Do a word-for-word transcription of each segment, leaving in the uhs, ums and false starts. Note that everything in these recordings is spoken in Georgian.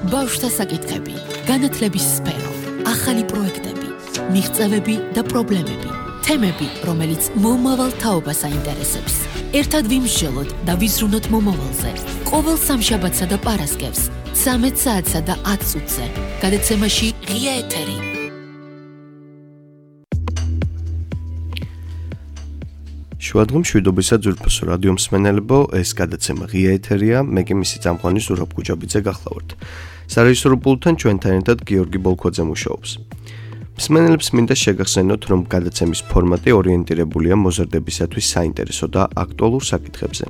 ბავშვთა საკითხები, განათლების სფერო, ახალი პროექტები, მიღწევები და პრობლემები, თემები, რომელიც მომავალ თაობას აინტერესებს. ერთად ვიმსჯელოთ და ვიზრუნოთ მომავალზე. ყოველ სამშაბათსა და პარასკევს, ცამეტ საათსა და ათ წუთზე. გადაცემაში ღია ეთერი. შუადღემ შვიდობისა ძვირფასო რადიო მსმენელებო, ეს გადაცემა ღია ეთერია, მე კი მისი წამყვანი ზურაბ გუჯაბიძე გახლავართ. სარეჟისორო პულტთან ჩვენთან ერთად გიორგი ბოლქვაძე მუშაობს. მსმენელებს მინდა შეგახსენოთ, რომ გადაცემის ფორმატი ორიენტირებულია მოზარდებისათვის საინტერესო და აქტუალურ საკითხებზე.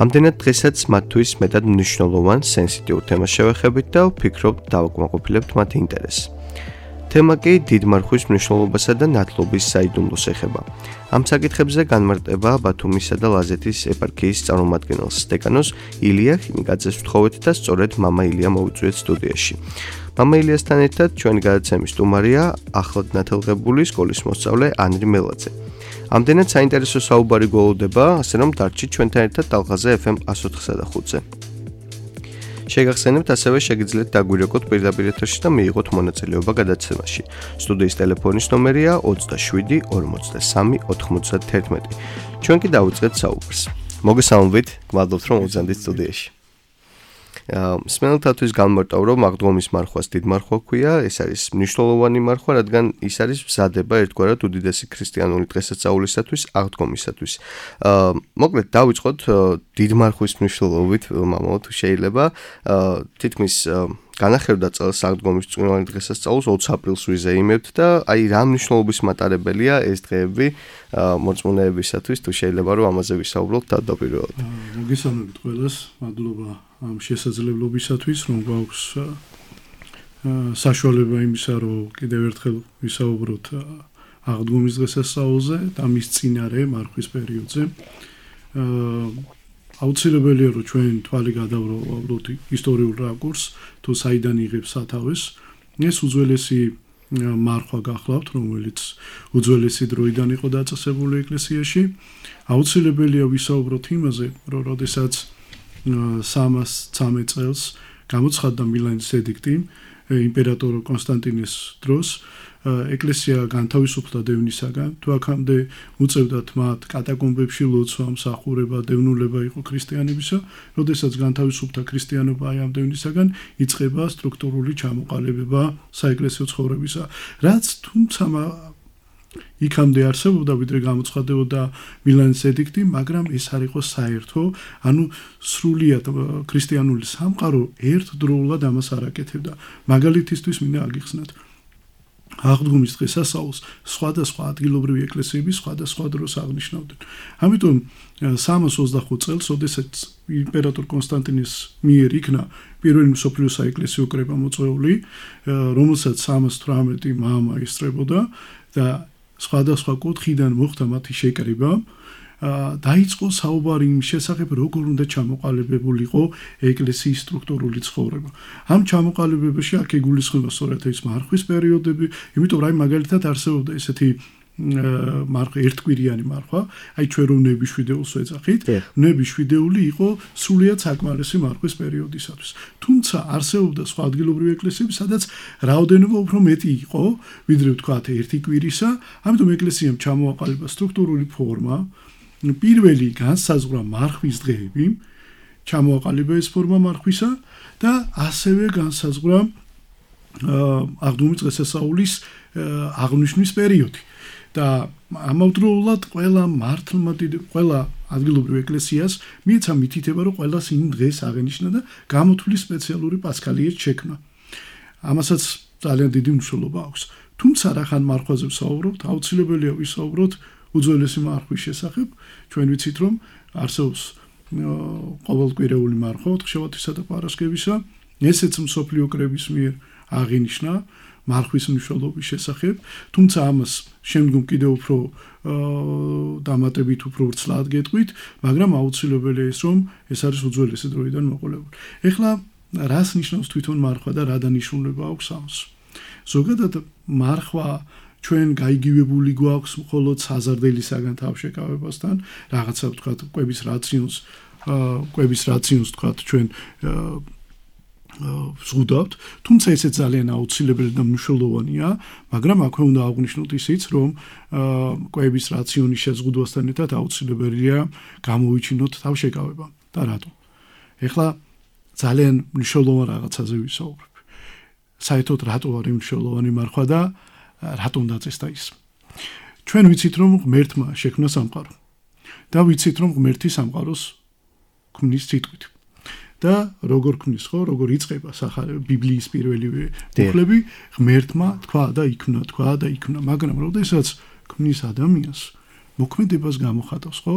ამდენად დღესაც მათთვის მეტად მნიშვნელოვან სენსიტიურ თემას შევეხებით და ვფიქრობ დავაკმაყოფილებთ მათ ინტერესს. თემა კი დიდმარხვის მნიშვნელობასა და ნათლობის საიდუმლოს ეხება. ამ საკითხებზე განმარტება ბათუმისა და ლაზეთის ეპარქიის წარმომადგენელს დეკანოს ილია ხინიკაძეს ვთხოვეთ და სწორედ მამა ილია მოვიწვიეთ სტუდიაში. მამა ილიასთან ერთად ჩვენი გადაცემის სტუმარია ახლად ნათელღებული სკოლის მოსწავლე ანრი მელაძე. ამდენად საინტერესო საუბარი გველოდება, ასე რომ დარჩით ჩვენთან ერთად ტალღაზე ეფ ემ εκατს ოთხსა და ხუთზე. შეგახსენებთ, ასევე შეგიძლიათ დაგვირეკოთ პირდაპირ ეთერში და მიიღოთ მონაწილეობა გადაცემაში. სტუდიის ტელეფონის ნომერია ოცდაშვიდი ორმოცდასამი ოთხმოცდათერთმეტი. ჩვენ კი დავიწყეთ საუბარს. მოგესალმებით, გმადლობთ რომ მოგზავნით სტუდიაში. მსმენელთათვის განმარტავ, რომ აღდგომის მარხვას დიდ მარხვა ქვია, ეს არის მნიშვნელოვანი მარხვა, რადგან ის არის მზადება ერთგვარად უდიდესი ქრისტიანული დღესასწაულისათვის, აღდგომისათვის. მოკლედ დავიწყოთ დიდ მარხვის მნიშვნელობით, მამაო, თუ შეიძლება, თითქმის განახევდა წელს აღდგომის წვიმიანი დღესასწაულს ოცი აპრილს ვიზეიმებთ და აი რა მნიშვნელობის მატარებელია ეს დღეები მოწმუნეებისათვის, თუ შეიძლება რომ ამაზე ვისაუბროთ თავდაპირველად. მოგესალმებით ყველას, მადლობა ამ შესაძლებლობისათვის, რომ გვაქვს საშუალება იმისა, რომ კიდევ ერთხელ ვისაუბროთ აღდგომის დღესასწაულზე და მის წინარე მარხვის პერიოდზე. აუცილებელია, რომ ჩვენ თვალი გადავყავოთ ისტორიულ რაკურსს, თუ საიდან იღებს სათავეს. ეს უძველესი მარხვა გახლავთ, რომელიც უძველესი დროიდან იყო დაწესებული ეკლესიაში. აუცილებელია ვისაუბროთ იმაზე, რომ როდესაც სამას ცამეტ წელს გამოცხადდა მილანის ედიქტი იმპერატორ კონსტანტინეს დროს, ეკლესია განთავისუფლდა დევნისაგან, თუ აქამდე უწევდათ მათ კატაკომბებში ლოცვა, მსახურება, დევნულება იყო ქრისტიანებისა, როდესაც განთავისუფლდა ქრისტიანობა აი ამ დევნისაგან, იწყება სტრუქტურული ჩამოყალიბება საეკლესიო ცხოვრებისა, რაც თუმცა იქამდე არსებობდა, ვიდრე გამოცხადდებოდა მილანის ედიქტი, მაგრამ ეს არ იყო საერთო, ანუ სრულიად ქრისტიანული სამყარო ერთდროულად ამას არ აკეთებდა. მაგალითისთვის მინდა აგიხსნათ. აღდგომის დღესასწაულს სხვადასხვა ადგილობრივი ეკლესიები სხვადასხვა დროს აღნიშნავდნენ. ამიტომ სამას ოცდახუთ წელს, როდესაც იმპერატორ კონსტანტინეს მიერ იქნა პირველი მსოფლიო საეკლესიო კრება მოწვეული, რომელსაც სამას თვრამეტი მამა ესწრებოდა და სხვადასხვა კუთხიდან მოხდა მათი შეკრება. დაიწყო საუბარი იმ შესახებ, როგორ უნდა ჩამოყალიბებულიყო ეკლესიის სტრუქტურული ცხოვრება. ამ ჩამოყალიბებაში აქ იგულისხმება სწორედ ეს მარხვის პერიოდები, იმიტომ რომ აი მაგალითად არსებობდა ესეთი მარხვა, ერთკვირიანი მარხვა, აი ჩვენ რომ ნებიშვიდეულს ვეძახით, ნებიშვიდეული იყო სრულიად საკმარისი მარხვის პერიოდისათვის. თუმცა არსებობდა სხვა ადგილობრივი ეკლესიები, სადაც რაოდენობა უფრო მეტი იყო, ვიდრე ვთქვათ ერთი კვირისა, ამიტომ ეკლესიამ ჩამოაყალიბა სტრუქტურული ფორმა. პირველი განსაზღვრა მარხვის დღეები, ჩამოაყალიბა ეს ფორმა მარხვისა და ასევე განსაზღვრა აღდგომის დღესასწაულის აღნიშვნის პერიოდი. და ამავდროულად ყველა მართლმა ყველა ადგილობრივ ეკლესიას მიეცა მითითება, რომ ყველას იმ დღეს აღენიშნა და გამოთვლი სპეციალური პასქალიეთ შექმნა. ამასაც ძალიან დიდი მნიშვნელობა აქვს. თუმცა რახან მარხვაზე ვსაუბრობთ, აუცილებელია ვისაუბროთ უძველესი მარხვის შესახებ. ჩვენ ვიცით, რომ არსებობს ყოველკვირეული მარხვა ოთხშაბათისა და პარასკევისა, ესეც მსოფლიო კრების მიერ აღინიშნა მარხვის მნიშვნელობის შესახებ, თუმცა ამას შემდგომ კიდევ უფრო დამატებით უფრო ვრცლად გეტყვით, მაგრამ აუცილებელია ის, რომ ეს არის უძველესი დროიდან მოყოლებული. ეხლა რას ნიშნავს თვითონ მარხვა და რა დანიშნულება აქვს ამას? ზოგადად მარხვა ჩვენ გაიგივებული გვაქვს მხოლოდ საზარდელისაგან თავშეკავებასთან, რაღაცა ვთქვათ, კვების რაციონს, კვების რაციონს ვთქვათ, ჩვენ ზღუდავთ, თუმცა ესეც ძალიან აუცილებელი და მნიშვნელოვანია, მაგრამ აქვე უნდა აღვნიშნოთ ისიც, რომ კვების რაციონის შეზღუდვასთან ერთად აუცილებელია გამოვიჩინოთ თავშეკავება და რატო. ეხლა ძალიან მნიშვნელოვან რაღაცაზე ვისაუბრებ. საერთოდ რატო არის მნიშვნელოვანი მარხვა და რატომ დაწესდა ის. ჩვენ ვიცით, რომ ღმერთმა შექმნა სამყარო და ვიცით, რომ ღმერთი სამყაროს ქმნის სიტყვით. და როგორ ქმნის ხო, როგორ იწყება სახარება ბიბლიის პირველივე მუხლები, ღმერთმა თქვა და იქმნა, თქვა და იქმნა, მაგრამ როდესაც ქმნის ადამიანს, მოქმედებას გამოხატავს, ხო?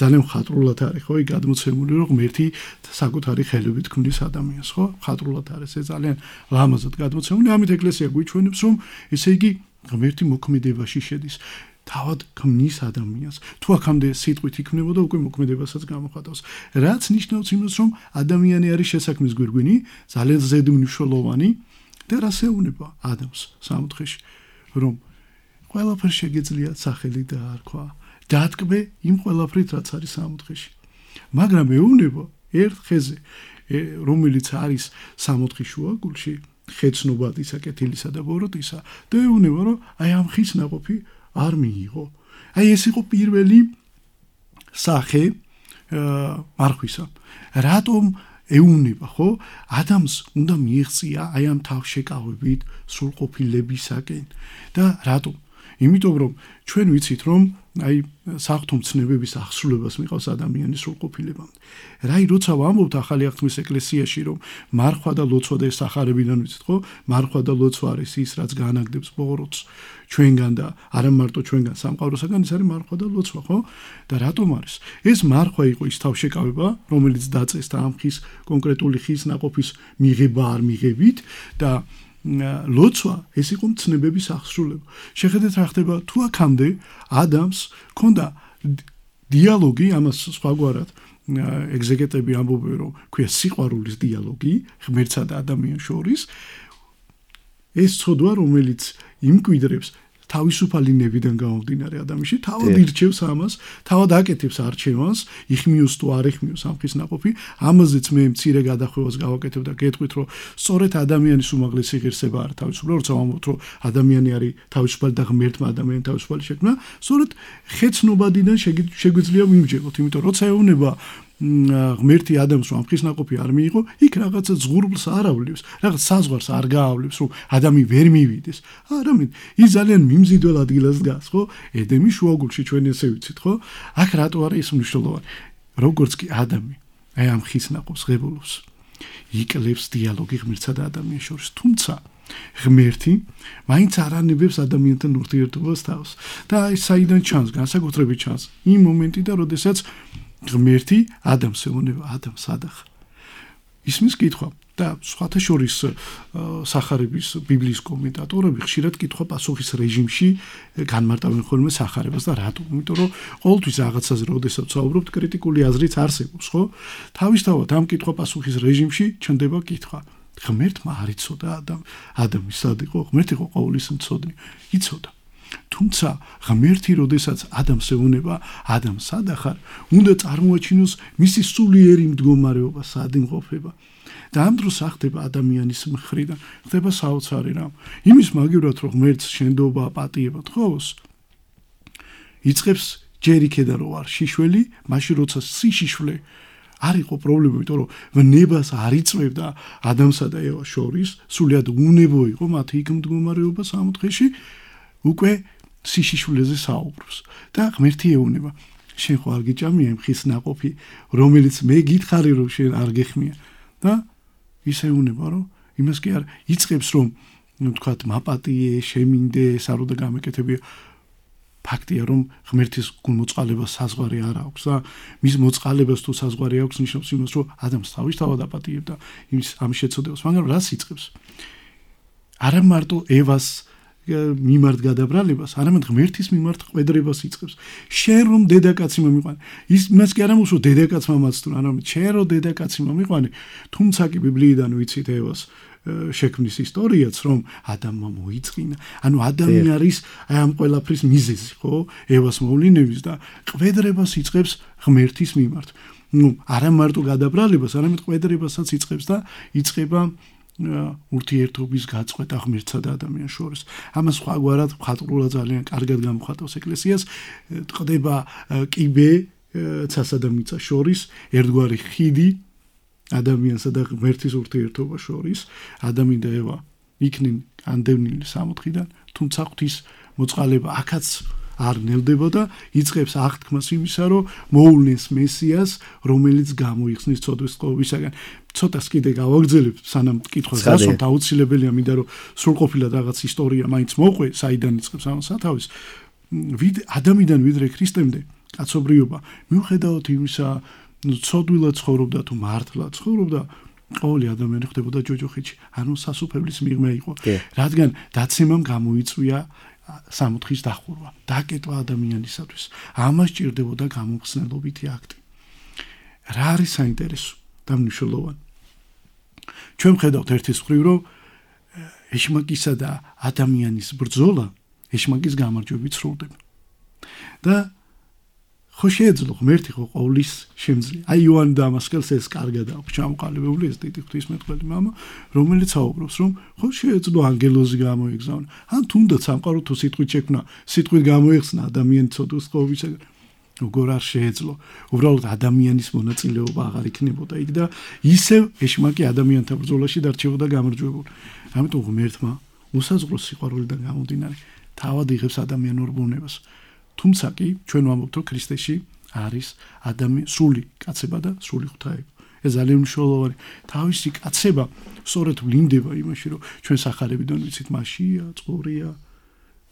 ძალიან მხატვრულად არის, ხო, იქ გადმოცემული, რომ ღმერთი საკუთარი ხელებით ქმნის ადამიანს, ხო? მხატვრულად არის, ეს ძალიან ლამაზად გადმოცემული, ამით ეკლესია გვიჩვენებს, რომ ესე იგი ღმერთი მოქმედებაში შედის. თავად ქმნის ადამიანს. თუ აქამდე სიტყვით იქმნებოდა, უკვე მოქმედებასაც გამოხატავს. რაც ნიშნავს იმას, რომ ადამიანი არის შესაქმნის გვირგვინი, ძალიან ზედმნიშვნელოვანი და რას ეუბნება ადამიანს სამოთხეში, რომ ყველაფერს შეგეძლია სახელი დაარქვა, დათქმე იმ ყველაფრით, რაც არის სამოთხეში. მაგრამ ეუბნება ერთ ხეზე, რომელიც არის სამოთხის შუაგულში, ხეცნობადისა, კეთილისა და ბოროტისა, და ეუბნება, რომ აი ამ ხის ნაყოფი არ მიიღო. აი ეს იყო პირველი სახე მარხვისა. რატომ ეუბნება, ხო? ადამიანს უნდა მიიღწია აი ამ თავშეკავებით სრულყოფილებისაკენ. და რატომ? იმიტომ რომ ჩვენ ვიცით, რომ აი საღვთო მცნებების აღსრულებას მიყავს ადამიანის სრულყოფილებამდე. რაი როცა ვამბობთ ახალი აღთქმის ეკლესიაში, რომ მარხვა და ლოცვა და ეს სახარებიდან ვიცით, ხო? მარხვა და ლოცვა არის ის, რაც განაგდებს ბოროტს ჩვენგან და არა მარტო ჩვენგან, სამყაროსაგან, ეს არის მარხვა და ლოცვა, ხო? და რატომ არის? ეს მარხვა იყო ის თავშეკავება, რომელიც დაწესდა ამ ხის კონკრეტული ხის ნაყოფის მიღება არ მიღებით და ლოცვა ეს იყო მცნებების აღსრულება. შეხედეთ რა ხდება, თუ აქამდე ადამიანს ქონდა დიალოგი, ამას სხვაგვარად ეგზეგეტები ამბობენ, რომ ქვია სიყვარულის დიალოგი ღმერთსა და ადამიანს შორის, ეს ცოდვა, რომელიც იმკვიდრებს თავისუფალი ნებიდან გამომდინარე ადამიანში, თავად ირჩევს ამას, თავად აკეთებს არჩევანს, იხმიოს თუ არ იხმიოს ამ ხის ნაყოფი, ამაზეც მე მცირე გადახვევას გავაკეთებ და გეტყვით, რომ სწორედ ადამიანის უმაღლესი ღირსება არის თავისუფალი, როცა ვამბობთ, რომ ადამიანი არის თავისუფალი და ღმერთმა ადამიანი თავისუფალი შექმნა, სწორედ ხეცნობადიდან შეგვიძლია ვიმჯეროთ, იმიტომ როცა ეუბნება ღმერთი ადამიანს რომ ხის ნაყოფი არ მიიღო, იქ რაღაცა ზღურბლს არ ავლებს, რაღაც საზღვარს არ გაავლებს, რომ ადამი ვერ მივიდეს. არამედ ის ძალიან მიმზიდველ ადგილას დგას, ხო? ედემის შუაგულში ჩვენ ესე ვიცით, ხო? აქ რატო არის ეს მნიშვნელოვანი? როგორც კი ადამი აი ამ ხის ნაყოფს ღებულობს, იკლებს დიალოგი ღმერთსა და ადამიანის შორის, თუმცა ღმერთი მაინც არ ანებებს ადამიანთან ურთიერთობას თავს. და აი საიდან ჩანს, განსაკუთრებით ჩანს იმ მომენტიდან, როდესაც ღმერთი ადამიანს ეუბნება, ადამს ადახ. ისმის კითხვა და სხვათა შორის სახარების ბიბლიის კომენტატორები ხშირად კითხვა-პასუხის რეჟიმში განმარტავენ ხოლმე სახარებას და რატო? იმიტომ რომ ყოველთვის რაღაცაზე როდესაც ვსაუბრობთ, კრიტიკული აზრიც არსებობს, ხო? თავისთავად ამ კითხვა-პასუხის რეჟიმში ჩნდება კითხვა. ღმერთმა არ იცოდა ადამ, ადამი სად იყო? ღმერთი იყო ყოვლის მცოდნე. იცოდა. თუმცა ღმერთი როდესაც ადამიანს ეუბნება, ადამ სად ახარ, უნდა წარმოაჩინოს მისი სულიერი მდგომარეობა, სად იმყოფება. და ამ დროს ახდება ადამიანის მხრიდან, ხდება საოცარი რამ. იმის მაგივრად რომ ღმერთს შენდობა, პატიება თხოვს, იწყებს ჯერ იქედა რომ არ შიშველი, მაშინ როცა სიშიშვლე არ იყო პრობლემა, იმიტომ რომ ნებას არ იწვევდა ადამიანსა და ევას შორის, სულიად უნებო იყო მათი იქ მდგომარეობა სამოთხეში, უკვე სიშიშვლეზე საუბრობს და ღმერთი ეუბნება, შენ ხო არ გიჭამია იმ ხის ნაყოფი, რომელიც მე გითხარი რომ შენ არ გეხმია და ის ეუბნება, რომ იმას კი არ იწყებს რომ ნუ თქვათ მაპატიე, შემინდე, სარო და გამეკეთებია. ფაქტია რომ ღმერთის გულმოწყალებას საზღვარი არ აქვს და მის მოწყალებას თუ საზღვარი აქვს, ნიშნავს იმას რომ ადამიანს თავისთავად აპატიებდა იმის ამ შეცოდებას, მაგრამ რას იწყებს? არა მარტო ევას მიმართ გადაბრალებას, არამედ ღმერთის მიმართ ყვედრებას იწყებს. შენ რომ დედაკაცი მომიყვანე, ის მას კი არ ამბობს რომ დედაკაცმა მაცდო, არამედ შენ რომ დედაკაცი მომიყვანე, თუმცა კი ბიბლიიდან ვიცით ევას შექმნის ისტორიაც, რომ ადამმა მოიწყინა. ანუ ადამი არის აი ამ ყველაფრის მიზეზი, ხო? ევას მოვლენების და ყვედრებას იწყებს ღმერთის მიმართ. ნუ არა მარტო გადაბრალებას, არამედ ყვედრებასაც იწყებს და იწყება ურთიერთობის გაწყვეტა ღმერთსა და ადამიანს შორის. ამას სხვაგვარად მხატვრულად ძალიან კარგად გამოხატავს ეკლესიას, ტყდება კიბე ცასა და მიწას შორის, ერთგვარი ხიდი ადამიანსა და ღმერთის ურთიერთობას შორის, ადამიანი და ევა იქნენ ანდევნილი სამოთხიდან, თუმცა ღვთის მოწყალება აქაც არ ნელდებოდა, იწყებს აღთქმას იმისა, რომ მოულნეს მესიას, რომელიც გამოიხსნის ცოდვის წყობისაგან. ცოტას კიდე გავაგრძელებ, სანამ კითხვას გასვათ, აუცილებელია მინდა რომ სრულყოფილად რაღაც ისტორია მაინც მოყვე, საიდან იწყებს ამ სათავეს. ადამიანიდან ვიდრე ქრისტემდე კაცობრიობა, მიუხედავად იმისა, ცოდვილად ცხოვრობდა თუ მართლად ცხოვრობდა, ყოველი ადამიანი ხდებოდა ჯოჯოხეთში, ანუ სასუფეველის მიღმა იყო, რადგან დაცემამ გამოიწვია სამოთხის დახურვა, დაკეტვა ადამიანისათვის. ამას ჭირდებოდა გამომხსნელობითი აქტი. რა არის საინტერესო და მნიშვნელოვანი? ჩვენ ვხედავთ ერთის მხრივ, რომ ეშმაკისა და ადამიანის ბრძოლა ეშმაკის გამარჯვებით სრულდება. და ხო შეეძლო ღმერთი ხო ყოვლის შემძლე. აი იოანე დამასკელს ეს კარგად აქვს ჩამოყალიბებული ეს დიდი ღვთისმეტყველი მამა, რომელიც აუბრობს, რომ ხო შეეძლო ანგელოზი გამოიგზავნა. ან თუნდაც სამყარო თუ სიტყვით შექმნა, სიტყვით გამოიხსნა ადამიანის ცოდვის წყობისაგან. როგორ არ შეეძლო. უბრალოდ ადამიანის მონაწილეობა აღარ იქნებოდა იქ და ისევ ეშმაკი ადამიანთა ბრძოლაში დარჩებოდა გამარჯვებული. ამიტომ ღმერთმა უსაზღრო სიყვარულიდან გამომდინარე თავად იღებს ადამიანურ ბუნებას. თუმცა კი ჩვენ ვამბობთ, რომ ქრისტეში არის ადამიანის სული კაცება და სული ღვთაება. ეს ძალიან მნიშვნელოვანი. თავისი კაცება სწორედ ვლინდება იმაში, რომ ჩვენ სახარებიდან ვიცით მასია, წყურია,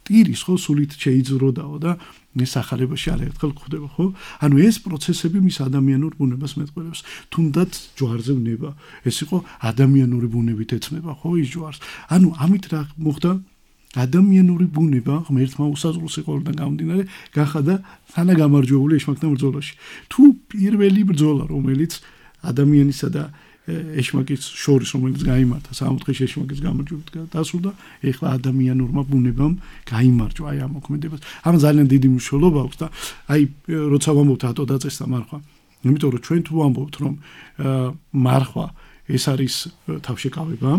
ტირის ხო სულით შეიძროდაო და ეს სახარებაში არაერთხელ გვხვდება, ხო? ანუ ეს პროცესები მის ადამიანურ ბუნებას მეტყველებს. თუნდაც ჯვარზე ვნება, ეს იყო ადამიანური ბუნებით ეცნება, ხო, ის ჯვარს. ანუ ამით რა მოხდა? ადამიანური ბუნება ღმერთმა უსაზღრო სიყვარულიდან გამომდინარე გახადა თანაგამარჯვებული ეშმაკთან ბრძოლაში. თუ პირველი ბრძოლა, რომელიც ადამიანისა და ეშმაკის შორის, რომელიც გაიმართა სამოთხის ეშმაკის გამარჯვებით დასრულდა, ეხლა ადამიანურმა ბუნებამ გაიმარჯვა აი ამ მოქმედებას. ამ ძალიან დიდი მნიშვნელობა აქვს და აი როცა ვამბობთ ატო დაწესდა მარხვა, იმიტომ რომ ჩვენ თუ ვამბობთ რომ მარხვა ეს არის თავშეკავება,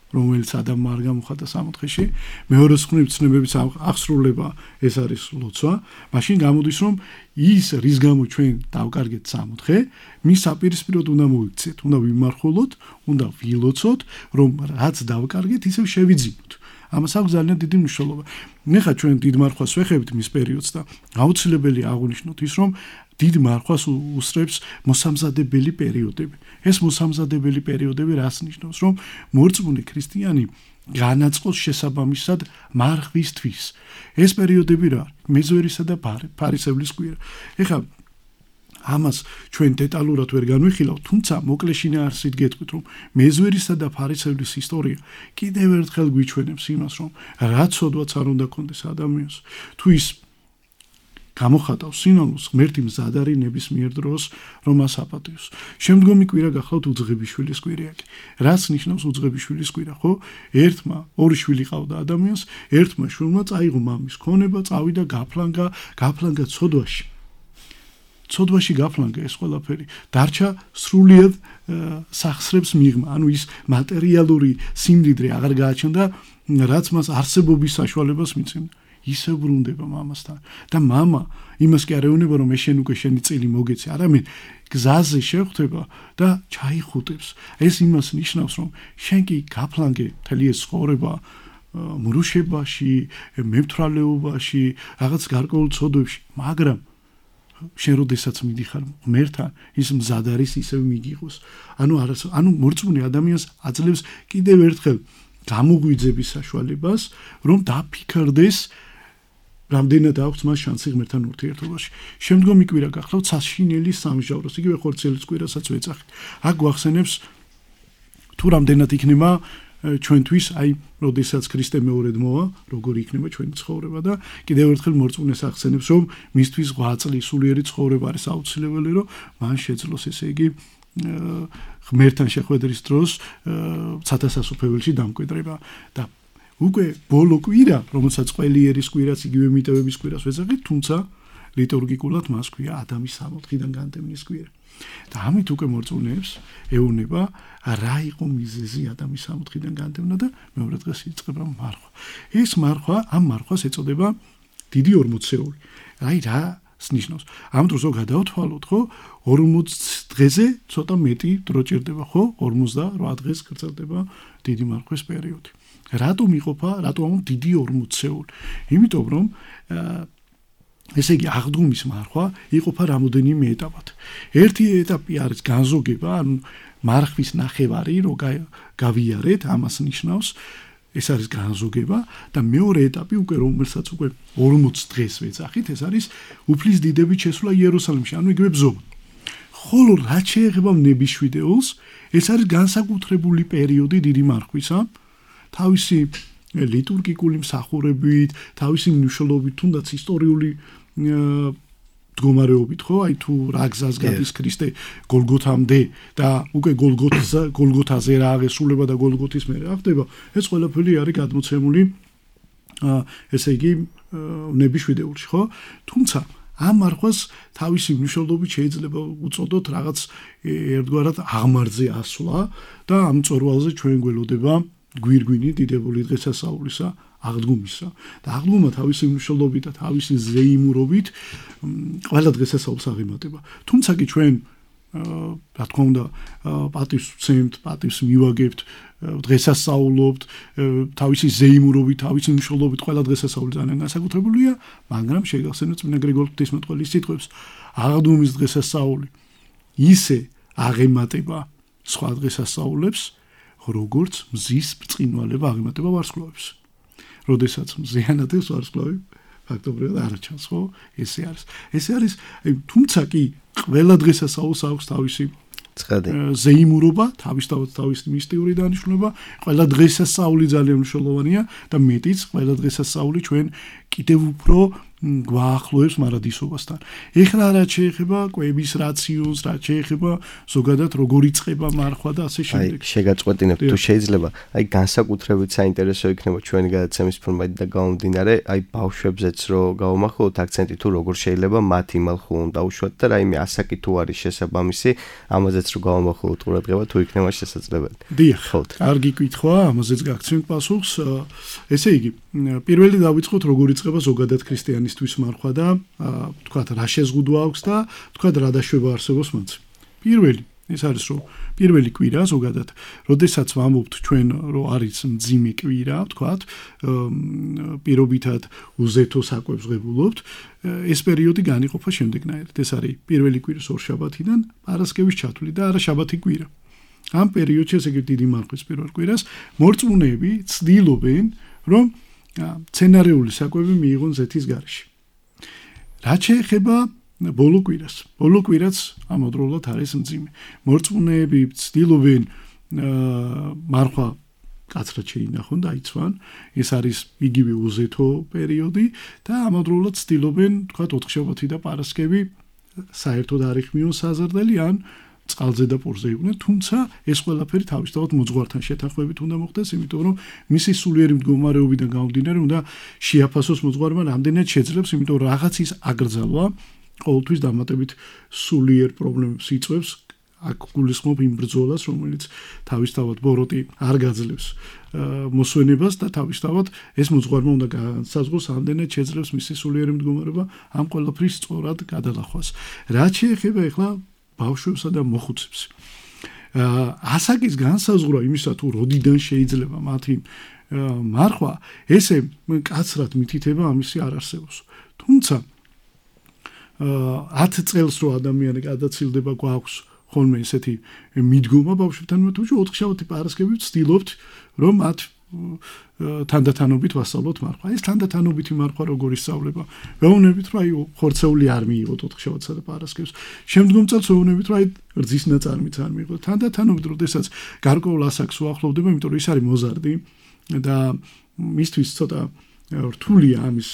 რომელიც ადამიანმა არ გამოხატა სამოთხეში, მეორე მხრივ ცნებების აღსრულება ეს არის ლოცვა, მაშინ გამოდის რომ ის რის გამო ჩვენ დავკარგეთ სამოთხე, მის საპირისპიროდ უნდა მოიქცეთ, უნდა ვიმარხულოთ, უნდა ვილოცოთ, რომ რაც დავკარგეთ, ისევ შევიძინოთ. ამას აქვს ძალიან დიდი მნიშვნელობა. ეხლა ჩვენ დიდ მარხვას ვეხებით მის პერიოდს და აუცილებელი აღვნიშნოთ ის, რომ დიდ მარხვას უსწრებს მოსამზადებელი პერიოდები. ეს მოსამზადებელი პერიოდები რას ნიშნავს, რომ მორწმუნე ქრისტიანი განაწყოს შესაბამისად მარხვისთვის. ეს პერიოდები რა არის? მეზვერისა და ფარისევლის კვირა. ეხლა ამას ჩვენ დეტალურად ვერ განვიხილავთ, თუმცა მოკლეში ნაარსით გეტყვით, რომ მეზვერისა და ფარისევლის ისტორია კიდევ ერთხელ გვიჩვენებს იმას, რომ რა ცოდვაც არ უნდა კონდეს ადამიანს, თუ ის გამოხატავს სინონიმს, ღმერთი მზად არის ნებისმიერ დროს რომ მას აპატიოს. შემდგომი კვირა გახლავთ უძღებიშვილის კვირა. რაც ნიშნავს უძღებიშვილის კვირა, ხო? ერთმა ორი შვილი ყავდა ადამიანს, ერთმა შვილმა წაიღო მამის ქონება, წავიდა გაფლანგა, გაფლანგა ცოდვაში. ცოდვაში გაფლანგა ეს ყველაფერი. დარჩა სრულიად სახსრებს მიღმა, ანუ ის მატერიალური სიმდიდრე აღარ გააჩნდა, რაც მას არსებობის საშუალებას მიცემდა. ისე ბრუნდება მამასთან და მამა იმას კი არ ეუბნება რომ ეს შენ უკვე შენი წილი მოგეცი, არამედ გზაზე შეხვდება და ჩაიხუტებს. ეს იმას ნიშნავს რომ შენ კი გაფლანგე მთელი ეს ცხოვრება მრუშებაში, მემთვრალეობაში, რაღაც გარკვეულ ცოდვებში, მაგრამ შენ როდესაც მიდიხარ ღმერთთან, ის მზად არის ისევ მიგიღოს. ანუ ანუ მორწმუნე ადამიანს აძლევს კიდევ ერთხელ გამოგვიძების საშუალებას, რომ დაფიქრდეს რამდენად აქვს მას შანსი ღმერთთან ურთიერთობაში. შემდგომი კვირა გახლავთ საშინელი სამჟავროს, იგივე ხორციელის კვირასაც ვეძახით. აქ გვახსენებს თუ რამდენად იქნება ჩვენთვის, აი, როდესაც ქრისტე მეორედ მოვა, როგორი იქნება ჩვენი ცხოვრება და კიდევ ერთხელ მორწმუნეს ახსენებს, რომ მისთვის ღვაწლი, სულიერი ცხოვრება არის აუცილებელი, რომ მან შეძლოს ესე იგი ღმერთთან შეხვედრის დროს ცათასასუფეველში დამკვიდრება და უკვე ბოლო კვირა, რომელსაც ყველიერის კვირას, იგივე მიტევების კვირას ვეძახით, თუმცა ლიტურგიკულად მას ქვია ადამის სამოთხიდან განდევნის კვირა. და ამით უკვე მორწმუნეებს ეუბნება რა იყო მიზეზი ადამიანის სამოთხიდან განდევნა და მეორე დღეს იწყება მარხვა. ეს მარხვა, ამ მარხვას ეწოდება დიდი ორმოცეული. აი რა ნიშნავს? ამ დროს რო გადავთვალოთ, ხო, ორმოც დღეზე ცოტა მეტი დრო ჭირდება, ხო? ორმოცდაოთხ დღეს გრძელდება დიდი მარხვის პერიოდი. რატომ იყოფა, რატომ დიდი ორმოცეული? იმიტომ რომ ესე იგი აღდგომის მარხვა იყოფა რამოდენიმე ეტაპად. ერთი ეტაპი არის განზოგება, ანუ მარხვის ნახევარი რო გავიარეთ, ამას ნიშნავს ეს არის განზოგება და მეორე ეტაპი უკვე რომელსაც უკვე ორმოც დღეს ვეძახით, ეს არის უფლის დიდებით შესვლა იერუსალიმში, ანუ იგივე ბზომა. ხოლო რაც შეეხება ნებიშვიდეულს, ეს არის განსაკუთრებული პერიოდი დიდი მარხვისა, თავისი ლიტურგიკული მსახურებით, თავისი მნიშვნელობით, თუნდაც ისტორიული მდგომარეობით, ხო, აი თუ რა გზას გადის ქრისტე გოლგოთამდე და უკვე გოლგოთას გოლგოთაზე რა აღესრულება და გოლგოთის მერე რა ხდება, ეს ყველაფერი არის გადმოცემული ესე იგი ნებიშვიდეულში, ხო? თუმცა ამ მარხვას თავისი მნიშვნელობით შეიძლება უწოდოთ რაღაც ერთგვარად აღმართზე ასვლა და ამ წორვალზე ჩვენ გველოდება გვირგვინი დიდებული დღესასწაულისა აღდგომისა და აღდგომა თავისი მნიშვნელობით და თავისი ზეიმურობით ყველა დღესასწაულს აღემატება. თუმცა კი ჩვენ რა თქმა უნდა პატივს ვცემთ, პატივს მივაგებთ, დღესასწაულობთ, თავისი ზეიმურობით, თავისი მნიშვნელობით ყველა დღესასწაული ძალიან განსაკუთრებულია, მაგრამ შეგახსენოთ წმინდა გრიგოლ ღვთისმეტყველის სიტყვებს, აღდგომის დღესასწაული ისე აღემატება სხვა დღესასწაულებს, როგორც მზის ბრწყინვალება აღემატება ვარსკვლავებს. როდესაც მზიანადებს ვარსკვლავი ფაქტობრივად არ ჩანს, ხო? ესე არის. ესე არის, თუმცა კი ყველა დღესასწაულს აქვს თავისი ზეიმურობა, თავისთავად თავისი მისტიური დანიშნულება, ყველა დღესასწაული ძალიან მნიშვნელოვანია და მეტიც ყველა დღესასწაული ჩვენ კიდევ უფრო გვაახლოებს მარადისობასთან. ეხლა რაც შეეხება კვების რაციოს, რაც შეეხება ზოგადად როგორ იწყება მარხვა და ასე შემდეგ. აი, შეგაწყვეტინებ, თუ შეიძლება, აი განსაკუთრებით საინტერესო იქნება ჩვენი გადაცემის ფორმატი და გამომდინარე, აი ბავშვებზეც რო გავამახვილოთ აქცენტი თუ როგორ შეიძლება მათ იმალხულონ დაუშვათ და რაიმე ასაკი თუ არის შესაბამისი, ამაზეც რო გავამახვილოთ ყურადღება თუ იქნება შესაძლებელი. დიახ, კარგი კითხვა, ამაზეც გაგცემთ პასუხს. ესე იგი, პირველი დავიწყოთ როგორ იწყება ზოგადად ქრისტიანისთვის მარხვა და თქვათ რა შეზღუდვა აქვს და თქვათ რა დაშვება არსებობს მათ. პირველი ეს არის რომ პირველი კვირა ზოგადად, როდესაც ვამბობთ ჩვენ რომ არის მძიმე კვირა, თქვათ, პირობითად უზეთო საკვებს ღებულობთ, ეს პერიოდი განიყოფა შემდეგნაირად. ეს არის პირველი კვირის ორშაბათიდან პარასკევის ჩათვლით და არა შაბათი კვირა. ამ პერიოდში ესე იგი დიდი მარხვის პირველ კვირას მორწმუნეები ცდილობენ რომ სცენარიული საკვები მიიღონ ზეთის გარეშე. რაც შეეხება ბოლო კვირას. ბოლო კვირაც ამავდროულად არის მძიმე. მორწმუნეები ცდილობენ მარხვა კაცრად შეინახონ და იცვან. ეს არის იგივე უზეთო პერიოდი და ამავდროულად ცდილობენ, თქვათ, ოთხშაბათი და პარასკევი საერთოდ არ იხმიონ საზრდელი ან წყალზე და პურზე იყვნენ, თუმცა ეს ყველაფერი თავისთავად მოძღვართან შეთანხმებით უნდა მოხდეს, იმიტომ რომ მისი სულიერი მდგომარეობიდან გამომდინარე უნდა შეაფასოს მოძღვარმა რამდენად შეძლებს, იმიტომ რომ რაღაც ის აკრძალვა ყოველთვის დამატებით სულიერ პრობლემებს იწვევს, აქ გულისხმობ იმ ბრძოლას, რომელიც თავისთავად ბოროტი არ გაძლევს მოსვენებას და თავისთავად ეს მოძღვარმა უნდა განსაზღვროს რამდენად შეძლებს მისი სულიერი მდგომარეობა ამ ყველაფრის სწორად გადალახვას. რაც შეეხება ახლა ბავშვებსა და მოხუცებს. ასაკის განსაზღვრა იმისა თუ როდიდან შეიძლება მათი მარხვა, ესე კაცრად მითითება ამისი არ არსებობს. თუმცა ათ წელს რო ადამიანი გადაცილდება გვაქვს ხოლმე ესეთი მიდგომა ბავშვებთან მეთუში ოთხშაბათი პარასკევი ვცდილობთ რომ მათ თანდათანობით ვასწავლოთ მარხვა. ეს თანდათანობითი მარხვა როგორ ისწავლება? ვეუბნებით რომ აი ხორცეული არ მიიღოთ ოთხშაბათსა და პარასკევს. შემდგომ წელს ვეუბნებით რომ აი რძის ნაწარმიც არ მიიღოთ. თანდათანობით როდესაც გარკვეულ ასაკს უახლოვდება, იმიტომ რომ ის არის მოზარდი და მისთვის ცოტა რთულია ამის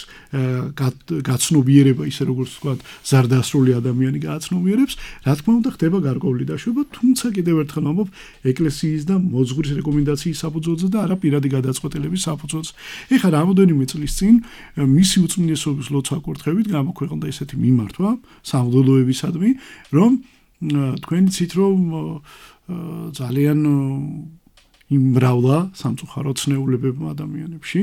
გაცნობიერება, ისე როგორც ვთქვათ, ზარდასრული ადამიანი გააცნობიერებს, რა თქმა უნდა ხდება გარკვეული დაშვება, თუმცა კიდევ ერთხელ ვამბობ, ეკლესიის და მოძღვრის რეკომენდაციის საფუძველზე და არა პირადი გადაწყვეტილების საფუძველზე. ეხლა რამოდენიმე წლის წინ მისი უწმინდესობის ლოცვა კურთხევით გამოქვეყნდა ესეთი მიმართვა სამღვდელოებისადმი, რომ თქვენ იცით, რომ ძალიან იმრავლა სამწუხაროდ ცნეულებებმა ადამიანებში,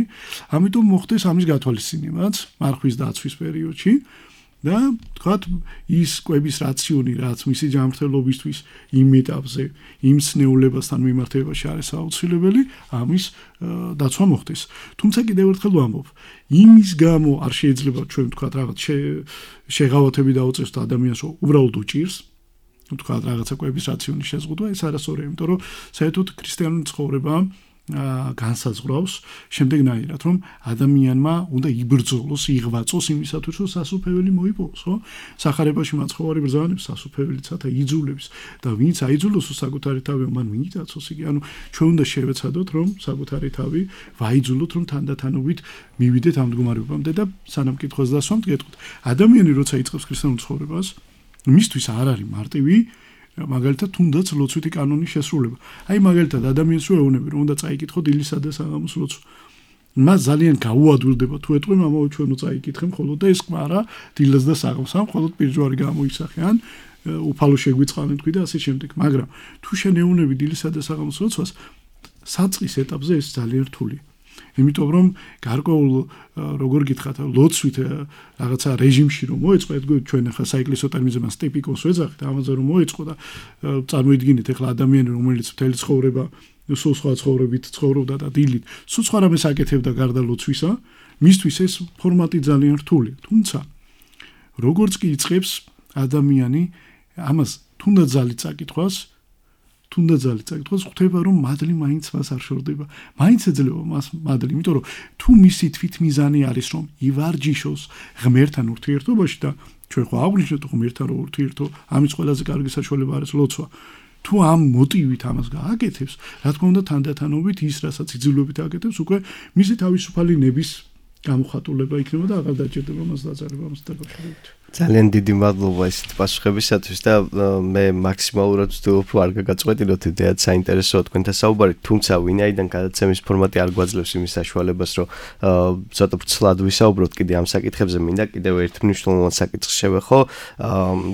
ამიტომ მოხდეს ამის გათვალისწინებაც მარხვის დაცვის პერიოდში და თქვათ ის კვების რაციონი, რაც მისი ჯანმრთელობისთვის იმ ეტაპზე, იმ ცნეულებასთან მიმართებაში არის აუცილებელი, ამის დაცვა მოხდეს. თუმცა კიდევ ერთხელ ვამბობ, იმის გამო არ შეიძლება ჩვენ ვთქვათ რაღაც შეღავათები დაუწევს ადამიანს, უბრალოდ უჭირს თქვა რაღაცა კვების რაციონის შეზღუდვა, ეს არასწორია, იმიტომ რომ საერთოდ ქრისტიანული ცხოვრება განსაზღვრავს შემდეგნაირად, რომ ადამიანმა უნდა იბრძოლოს, იღვაწოს იმისათვის, რომ სასუფეველი მოიპოვოს, ხო? სახარებაში მაცხოვარი ბრძანებს სასუფეველიცათა იძულებს და ვინც აიძულოს საკუთარი თავი, მან მიიტაცოს იგი, ანუ ჩვენ უნდა შევეცადოთ, რომ საკუთარი თავი ვაიძულოთ, რომ თანდათანობით მივიდეთ ამ მდგომარეობამდე და სანამ კითხვას დასვამთ, გეტყვით. ადამიანი როცა იწყებს ქრისტიანულ ცხოვრებას, მისთვის არ არის მარტივი მაგალითად თუნდაც ლოცვითი კანონის შესრულება. აი მაგალითად ადამიანს რო ეუბნები რომ უნდა წაიკითხოთ დილისა და საღამოს ლოცვა. მას ძალიან გაუადვილდება თუ ეტყვი მამაო ჩვენო წაიკითხე მხოლოდ და ეს კვარა დილას და საღამოს ამ მხოლოდ პირჯვარი გამოისახე ან უფალო შეგვიწყალენ თქვი და ასე შემდეგ. მაგრამ თუ შენ ეუბნები დილისა და საღამოს ლოცვას საწყის ეტაპზე ეს ძალიან რთულია. იმიტომ რომ გარკვეულ როგორ გითხრათ ლოცვით რაღაცა რეჟიმში რომ მოეწყო ჩვენ ახლა საეკლესიო ტერმინზე მას ტიპიკოს ვეძახით ამაზე რომ მოეწყო და წარმოიდგინეთ ახლა ადამიანი რომელიც მთელი ცხოვრება სულ სხვა ცხოვრებით ცხოვრობდა და დილით სულ სხვა რამეს აკეთებდა გარდა ლოცვისა მისთვის ეს ფორმატი ძალიან რთულია თუმცა როგორც კი იწყებს ადამიანი ამას თუნდაც ძალით წაკითხვას თუნდაც ძალით წაკითხვას ხვდება რომ მადლი მაინც მას არ შორდება მაინც ეძლევა მას მადლი იმიტომ რომ თუ მისი თვითმიზანი არის რომ ივარჯიშოს ღმერთთან ურთიერთობაში და ჩვენ ხო აღვნიშნეთ ღმერთთან რო ურთიერთო ამის ყველაზე კარგი საშუალება არის ლოცვა თუ ამ მოტივით ამას გააკეთებს რა თქმა უნდა თანდათანობით ის რასაც იძულებით აკეთებს უკვე მისი თავისუფალი ნების გამოხატულება იქნება და აღარ დაჭირდება მას დაძალება მას დაკავშირებით ძალიან დიდი მადლობა ესეთ პასუხებისათვის და მე მაქსიმალურად ვცდილობ არ გაგაწყვეტილოთ იდეად საინტერესოა თქვენთან საუბარი, თუმცა ვინაიდან გადაცემის ფორმატი არ გვაძლევს იმის საშუალებას, რომ ცოტა ვრცლად ვისაუბროთ კიდე ამ საკითხებზე, მინდა კიდევ ერთ მნიშვნელოვან საკითხს შევეხო,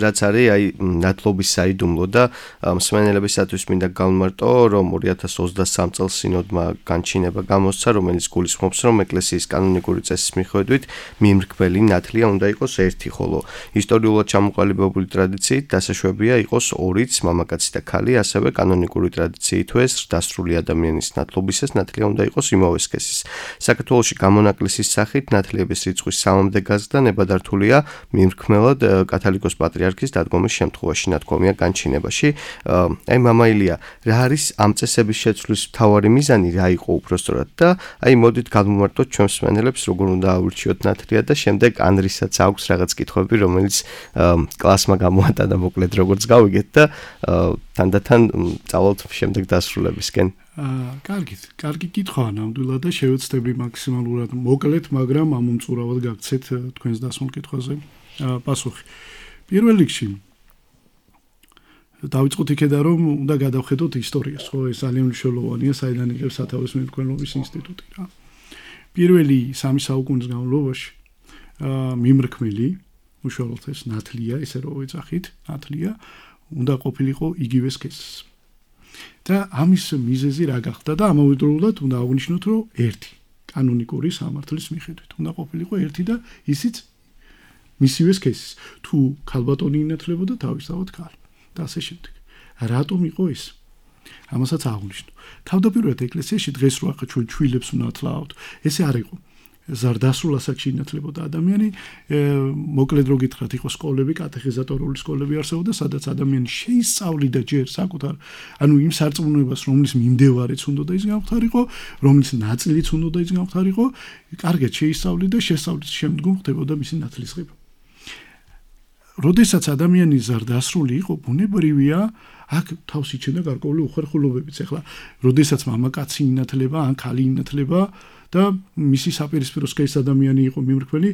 რაც არის აი ნათლობის საიდუმლო და მსმენელებისათვის მინდა გავმარტო, რომ ორი ათას ოცდასამ წელს სინოდმა განჩინება გამოსცა, რომელიც გულისხმობს, რომ ეკლესიის კანონიკური წესის მიხედვით მიმრქმელი ნათლია უნდა იყოს ერთი, ხოლო ისტორიულად ჩამოყალიბებული ტრადიციით დასაშვებია იყოს ორიც მამაკაცი და ქალი, ასევე კანონიკური ტრადიციით თუ ეს დასრული ადამიანის ნათლობისას ნათლია უნდა იყოს იმავე სქესის. საქართველოში გამონაკლისის სახით ნათლიების რიცხვის სამამდე გაზრდა ნებადართულია მიმრქმელად კათოლიკოს პატრიარქის დადგომის შემთხვევაში ნათქვამია განჩინებაში. აი მამა ილია, რა არის ამ წესების შეცვლის მთავარი მიზანი, რა იყო უпростоრად და აი მოდით გავმარტოთ ჩვენს მსმენელებს როგორ უნდა აურჩიოთ ნათლია და შემდეგ ანრისაც აქვს რაღაც კითხვები რომელიც კლასმა გამოატანა მოკლედ როგორც გავიგეთ და თანდათან წავალთ შემდეგ დასრულებისკენ. აა, კარგით, კარგი კითხვაა ნამდვილად და შევეცდები მაქსიმალურად მოკლედ, მაგრამ ამომწურავად გაგცეთ თქვენს დასმულ კითხვაზე პასუხი. პირველ რიგში დავიწყოთ იქედან რომ უნდა გადავხედოთ ისტორიას, ხო, ეს ძალიან მნიშვნელოვანია, საიდან იღებს სათავეს მემკვიდრეობის ინსტიტუტი რა. პირველი სამი საუკუნის განმავლობაში აა მიმრქმელი უშუალოდ ეს ნათლია, ესე რომ ვეძახით, ნათლია უნდა ყოფილიყო იგივე სქესის. და ამის მიზეზი რა გახდა და ამავდროულად უნდა აღვნიშნოთ, რომ ერთი კანონიკური სამართლის მიხედვით უნდა ყოფილიყო ერთი და ისიც მისივე სქესის. თუ ქალბატონი ინათლებოდა თავისთავად ქალი და ასე შემდეგ. რატომ იყო ეს? ამასაც აღვნიშნო. თავდაპირველად ეკლესიაში დღეს რო ახლა ჩვენ ჩვილებს ვნათლავთ, ესე არ იყო. ზარდასრულ ასაკში ინათლებოდა ადამიანი, მოკლედ რო გითხრათ, იყო სკოლები, კატეხიზატორული სკოლები არსებობდა, სადაც ადამიანი შეისწავლიდა ჯერ საკუთარ, ანუ იმ სარწმუნოებას, რომლის მიმდევარიც უნდა ის გამختارიყო, რომლის ნაწილიც უნდა ის გამختارიყო, კარგად შეისწავლიდა და შესწავლის შემდგომ ხდებოდა მისი ნათლისღება. როდესაც ადამიანი ზარდასრული იყო, ბუნებრივია, აქ თავს იჩენდა გარკვეული უხერხულობებიც. ეხლა როდესაც მამაკაცი ინათლება ან ქალი ინათლება და მისი საპირისპირო სქესის ადამიანი იყო მიმრქმელი,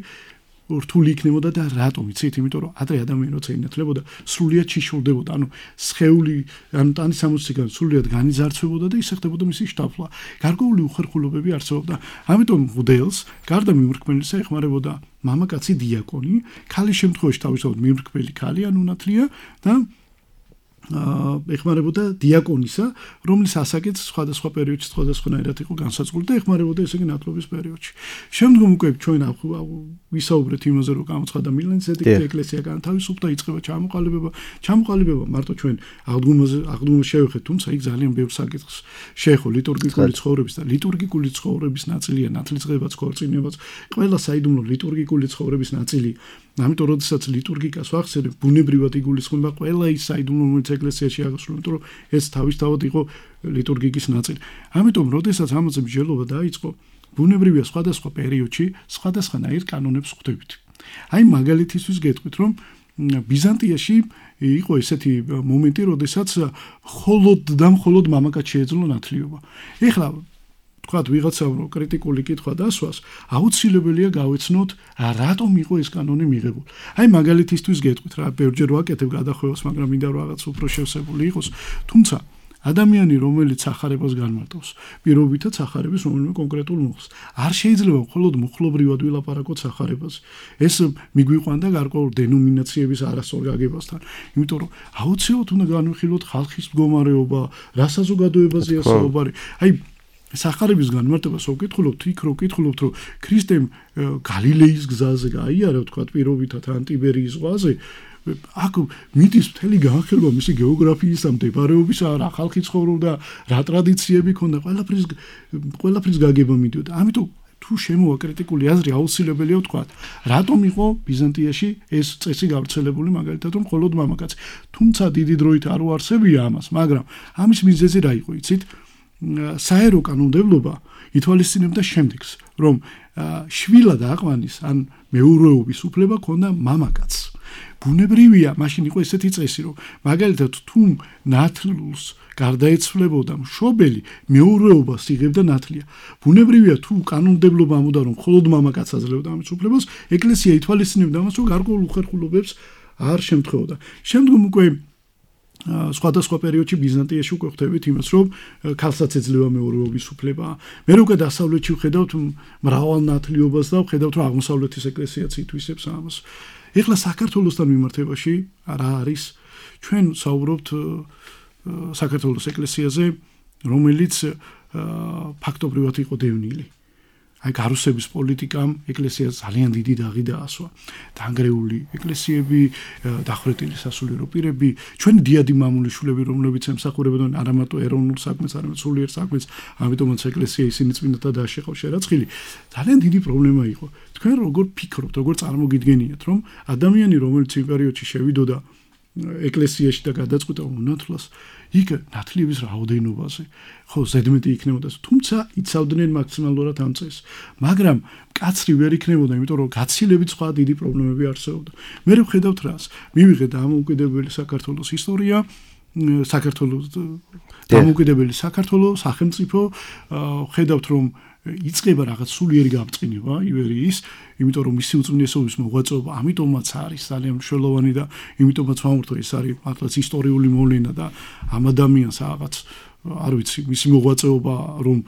რთული იქნებოდა და რატომ იცით? იმიტომ რომ ადრე ადამიანი როცა ინათლებოდა, სრულიად შიშურდებოდა, ანუ სხეული, ანუ ტანის სამოცდიდან სრულიად განიზარცვებოდა და ისე ხდებოდა მისი შთაფლა. გარკვეული უხერხულობები არსებობდა. ამიტომ მღვდელს გარდა მიმრქმელისა ეხმარებოდა მამაკაცი დიაკონი, ქალის შემთხვევაში თავისთავად მიმრქმელი ქალი ან უნათლია და ეხმარებოდა დიაკონისა, რომლის ასაკიც სხვადასხვა პერიოდში სხვადასხვანაირად იყო განსაზღვრული და ეხმარებოდა ესე იგი ნათლობის პერიოდში. შემდგომ უკვე ჩვენ ვისაუბრეთ იმაზე, რომ გამოცხადდა მილანის ედიქტი, ეკლესია განთავისუფლდა, იწყება ჩამოყალიბება. ჩამოყალიბება მარტო ჩვენ აღდგომაზე აღდგომას შევეხეთ, თუმცა იქ ძალიან ბევრ საკითხს შეეხო ლიტურგიკული ცხოვრების და ლიტურგიკული ცხოვრების ნაწილია ნათლისღებაც, ქორწინებაც, ყველა საიდუმლო ლიტურგიკული ცხოვრების ნაწილი. ამიტომ როდესაც ლიტურგიკას ვახსენებ, ბუნებრივად იგულისხმება ყველა ის საიდუმლო, რომელიც ეკლესიაში აღსრულდა, იმიტომ რომ ეს თავისთავად იყო ლიტურგიკის ნაწილი. ამიტომ როდესაც ამაზე მსჯელობა დაიწყო, ბუნებრივია სხვადასხვა პერიოდში სხვადასხვანაირ კანონებს ხვდებით. აი მაგალითისთვის გეტყვით, რომ ბიზანტიაში იყო ესეთი მომენტი, როდესაც მხოლოდ და მხოლოდ მამაკაც შეეძლო ნათლიობა. ეხლა თქვათ ვიღაცამ რო კრიტიკული კითხვა დასვას, აუცილებელია გავეცნოთ რატომ იყო ეს კანონი მიღებული. აი მაგალითისთვის გეტყვით რა, ბევრჯერ ვაკეთებ გადახვევას, მაგრამ მინდა რომ რაღაც უფრო შევსებული იყოს, თუმცა ადამიანი რომელიც სახარებას განმარტავს, პირობითად სახარების რომელიმე კონკრეტულ მოხს. არ შეიძლება მხოლოდ მუხლობრივად ვილაპარაკოთ სახარებას. ეს მიგვიყვანდა გარკვეულ დენომინაციების არასწორ გაგებასთან. იმიტომ რომ აუცილებლად უნდა განვიხილოთ ხალხის მდგომარეობა, რა საზოგადოებაზეა საუბარი. აი სახარების განმარტებას ვკითხულობთ, იქ რო ვკითხულობთ, რომ ქრისტემ გალილეის გზაზე გაიარა, თქვა პირობითად ან ტიბერიის ზღვაზე, აქ მიდის მთელი განხილვა მისი გეოგრაფიისა, მდებარეობისა, რა ხალხი ცხოვრობდა, რა ტრადიციები ქონდა, ყველაფრის ყველაფრის გაგება მიდიოდა. ამიტომ თუ შემოვა კრიტიკული აზრი, აუცილებელია ვთქვა, რატომ იყო ბიზანტიაში ეს წესი გავრცელებული, მაგალითად, რომ მხოლოდ მამაკაცი. თუმცა დიდი დროით არ უარსებია ამას, მაგრამ ამის მიზეზი რა იყო, იცით? საერო კანონმდებლობა ითვალისწინებდა შემდეგს, რომ შვილად აყვანის ან მეურვეობის უფლება ქონდა მამაკაცს. ბუნებრივია, მაშინ იყო ესეთი წესი, რომ მაგალითად თუ ნათლულს გარდაეცვლებოდა მშობელი, მეურვეობას იღებდა ნათლია. ბუნებრივია, თუ კანონმდებლობა ამბობდა, რომ მხოლოდ მამაკაცს აძლევდა ამის უფლებას, ეკლესია ითვალისწინებდა ამას, რომ გარკვეულ უხერხულობებს არ შემთხვევოდა. შემდგომ უკვე სხვადასხვა პერიოდში ბიზანტიაში უკვე ხვდებით იმას, რომ ქალსაც ეძლევა მეურვეობის უფლება. მე უკვე დასავლეთში ვხედავთ მრავალ ნათლიობას და ვხედავთ, რომ აღმოსავლეთის ეკლესიაც ითვისებს ამას. ეხლა საქართველოსთან მიმართებაში რა არის? ჩვენ საუბრობთ საქართველოს ეკლესიაზე, რომელიც ფაქტობრივად იყო დევნილი. აი გარუსების პოლიტიკამ ეკლესიას ძალიან დიდი დაღი დაასვა. დანგრეული ეკლესიები, დახვრეტილი სასულიერო პირები, ჩვენი დიადი მამულიშვილები, რომლებიც ემსახურებოდნენ არა მარტო ეროვნულ საქმეს, არამედ სულიერ საქმეს, ამიტომაც ეკლესია ისინი წმინდათა დააშეყავ შერაცხილი. ძალიან დიდი პრობლემა იყო. თქვენ როგორ ფიქრობთ, როგორ წარმოგიდგენიათ, რომ ადამიანი, რომელიც იმ პერიოდში შევიდოდა ეკლესიაში და გადაწყვიტა უნათლას, იქ ნათლიების რაოდენობაზე, ხო, ზედმეტი იქნებოდა, თუმცა იცავდნენ მაქსიმალურად ამ წესს. მაგრამ კაცრი ვერ იქნებოდა, იმიტომ რომ გაცილებით სხვა დიდი პრობლემები არსებობდა. მე ვხედავთ რას? მივიღეთ დამოუკიდებელი საქართველოს ისტორია, საქართველოს დამოუკიდებელი საქართველოს სახელმწიფო, ვხედავთ რომ იწყება რაღაც სულიერი გამწყინება ივერიის, იმიტომ რომ მისი უწმინდესობის მოღვაწეობა ამიტომაც არის ძალიან მნიშვნელოვანი და იმიტომაც ვამბობ, ეს არის მართლაც ისტორიული მოვლენა და ამ ადამიანს რაღაც არ ვიცი, მისი მოღვაწეობა რომ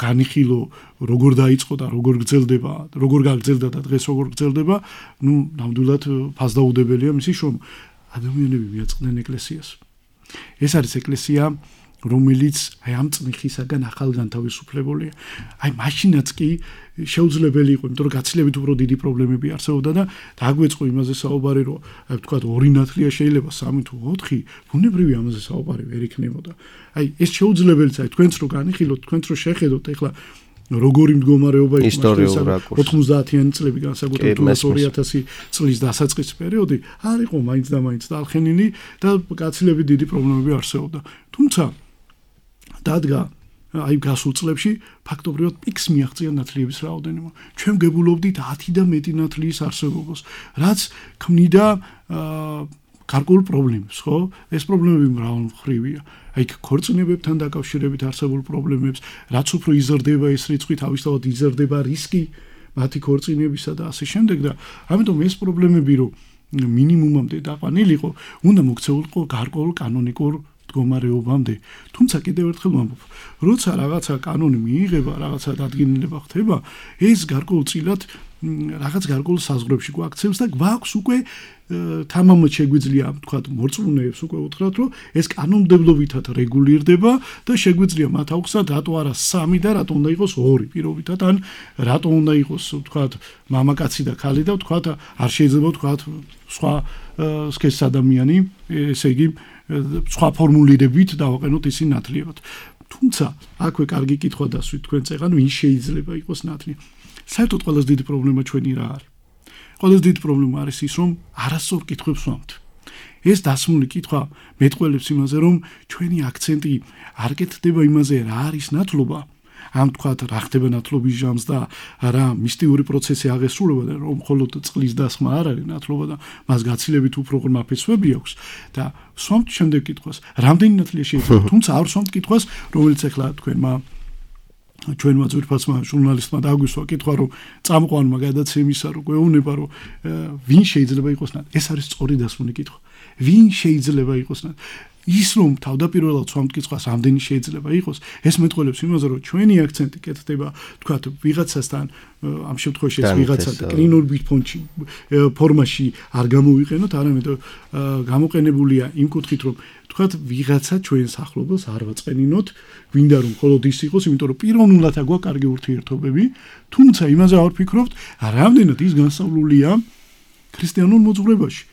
განიხილო, როგორ დაიწყო და როგორ გრძელდება, როგორ გაგრძელდა და დღეს როგორ გრძელდება, ნუ ნამდვილად ფასდაუდებელია მისი შრომა. ადამიანები მიაწყდნენ ეკლესიას. ეს არის ეკლესია, რომელიც აი ამ წნიხისაგან ახალ განთავისუფლებულია. აი მაშინაც კი შეუძლებელი იყო, იმიტომ რომ გაცილებით უფრო დიდი პრობლემები არსებობდა და დაგვეწყო იმაზე საუბარი, რომ აი ვთქვათ ორი ნათლია შეიძლება სამი თუ ოთხი, ბუნებრივი ამაზე საუბარი ვერ იქნებოდა. აი ეს შეუძლებელიც აი თქვენც რო განიხილოთ, თქვენც რო შეხედოთ, ეხლა როგორი მდგომარეობა იყო ოთხმოცდაათიანი წლები განსაკუთრებით ორი ათასი წლის დასაწყის პერიოდი, არ იყო მაინც და მაინც დალხენილი და გაცილებით დიდი პრობლემები არსებობდა. თუმცა დადგა აი გასულ წლებში ფაქტობრივად პიკს მიაღწია ნათლიების რაოდენობა. ჩვენ გებულობდით ათი და მეტი ნათლიის არსებობას, რაც ქმნიდა გარკვეულ პრობლემებს, ხო? ეს პრობლემები მრავალმხრივია. აი ქორწინებებთან დაკავშირებით არსებულ პრობლემებს, რაც უფრო იზრდება ეს რიცხვი, თავისთავად იზრდება რისკი მათი ქორწინებისა და ასე შემდეგ და ამიტომ ეს პრობლემები რომ მინიმუმამდე დაყვანილიყო, უნდა მოქცეულიყო გარკვეულ კანონიკურ მდგომარეობამდე. თუმცა კიდევ ერთხელ ვამბობ, როცა რაღაცა კანონი მიიღება, რაღაცა დადგენილება ხდება, ეს გარკვეულწილად რაღაც გარკვეულ საზღვრებში გვაქცევს და გვაქვს უკვე თამამად შეგვიძლია თქვა მორწმუნეებს უკვე უთხრათ რომ ეს კანონმდებლობითად რეგულირდება და შეგვიძლია მათ აუხსნათ რატო არა სამი და რატო უნდა იყოს ორი პირობითად ან რატო უნდა იყოს თქვა მამაკაცი და ქალი და თქვა არ შეიძლება თქვა სხვა სქესის ადამიანი ესე იგი სხვა ფორმულირებით დავაყენოთ ისინი ნათლიებად. თუმცა აქვე კარგი კითხვა დასვით თქვენ წეგან ვინ შეიძლება იყოს ნათლია. საერთოდ ყველაზე დიდი პრობლემა ჩვენი რა არის? ყველაზე დიდი პრობლემა არის ის, რომ არასწორ კითხვებს ვამთ. ეს დასმული კითხვა მეტყველებს იმაზე, რომ ჩვენი აქცენტი არ კეთდება იმაზე, რა არის ნათლობა, ამ თქვათ რა ხდება ნათლობის ჟამს და რა მისტიური პროცესი აღესრულება და რომ მხოლოდ წყლის დასხმა არ არის ნათლობა და მას გაცილებით უფრო ღრმა ფესვები აქვს და სვამთ შემდეგ კითხვას, რამდენი ნათლია შეიძლება, თუმცა არ სვამთ კითხვას, რომელიც ახლა თქვენმა ჩვენმა ძვირფასმა ჟურნალისტმა დაგვისვა კითხვა რომ წამყვანმა გადაცემისა რომ გვეუბნება რომ ვინ შეიძლება იყოს ნათლია. ეს არის სწორი დასმული კითხვა. ვინ შეიძლება იყოს ნათლია? ის რომ თავდაპირველად სვამთ კითხვას ამდენი შეიძლება იყოს, ეს მეტყველებს იმაზე რომ ჩვენი აქცენტი კეთდება თქვათ ვიღაცასთან ამ შემთხვევაში ეს ვიღაცა კრინორბით ფონში ფორმაში არ გამოვიყენოთ, არამედ გამოყენებულია იმ კუთხით რომ თქვათ ვიღაცა ჩვენს ახლობას არ ვაწყენინოთ, გვინდა რომ მხოლოდ ის იყოს, იმიტომ რომ პიროვნულად აგვაქვს კარგი ურთიერთობები, თუმცა იმაზე არ ვფიქრობთ, რამდენად ის განსავლულია ქრისტიანულ მოძღვრებაში.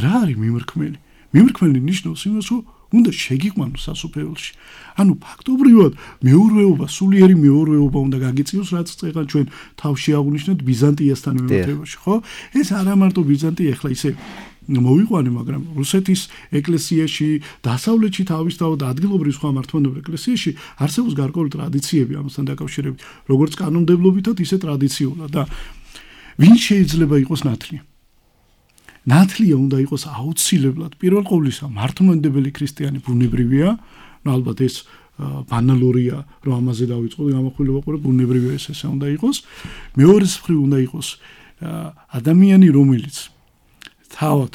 რა არის მიმრქმელი? მიმრქმელი ნიშნავს იმას, რომ უნდა შეგიყვანოს სასופველში. ანუ ფაქტობრივად მეურვეობა, სულიერი მეურვეობა უნდა გაგიწიოს, რაც წეგან ჩვენ თავში აღვნიშნეთ ბიზანტიასთან მიმართებაში, ხო? ეს არა მარტო ბიზანტია, ახლა ისე მოვიყვანე, მაგრამ რუსეთის ეკლესიაში, დასავლეთში თავისთავად ადგილობრივ სხვა მართლმადიდებლურ ეკლესიაში არსებობს გარკვეული ტრადიციები ამასთან დაკავშირებით, როგორც კანონმდებლობითად, ისე ტრადიციულად და ვინ შეიძლება იყოს ნათლია? ნათლია უნდა იყოს აუცილებლად პირველ ყოვლისა მართლმადიდებელი ქრისტიანი ბუნებრივია, ну ალბათ ეს ბანალურია, რომ ამაზე დავიწყოთ გამახვილება ყურე ბუნებრივია ეს ესე უნდა იყოს. მეორეს მხრივ უნდა იყოს ადამიანი, რომელიც თავად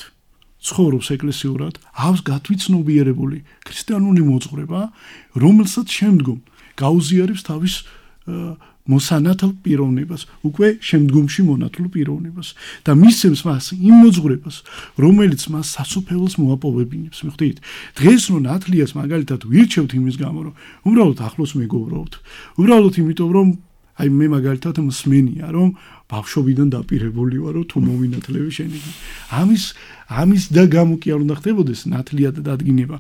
ცხოვრობს ეკლესიურად, აქვს გათვითცნობიერებული ქრისტიანული მოძღვრება, რომელსაც შემდგომ გაუზიარებს თავის მოსანათლ პიროვნებას, უკვე შემდგომში მონათლ პიროვნებას და მისცემს მას იმ მოძღვრებას, რომელიც მას სასופველს მოაპოვებინებს. მიხვდით? დღეს რო ნათლიას მაგალითად ვირჩევთ იმის გამო, რომ უბრალოდ ახლოს მეგობრობთ, უბრალოდ იმიტომ რომ აი მე მაგალითად მსმენია, რომ ბავშვობიდან დაპირებული ვარ, რომ თუ მოვინათლები შენი. ამის ამის და გამო კი არ უნდა ხდებოდეს ნათლია და დადგინება.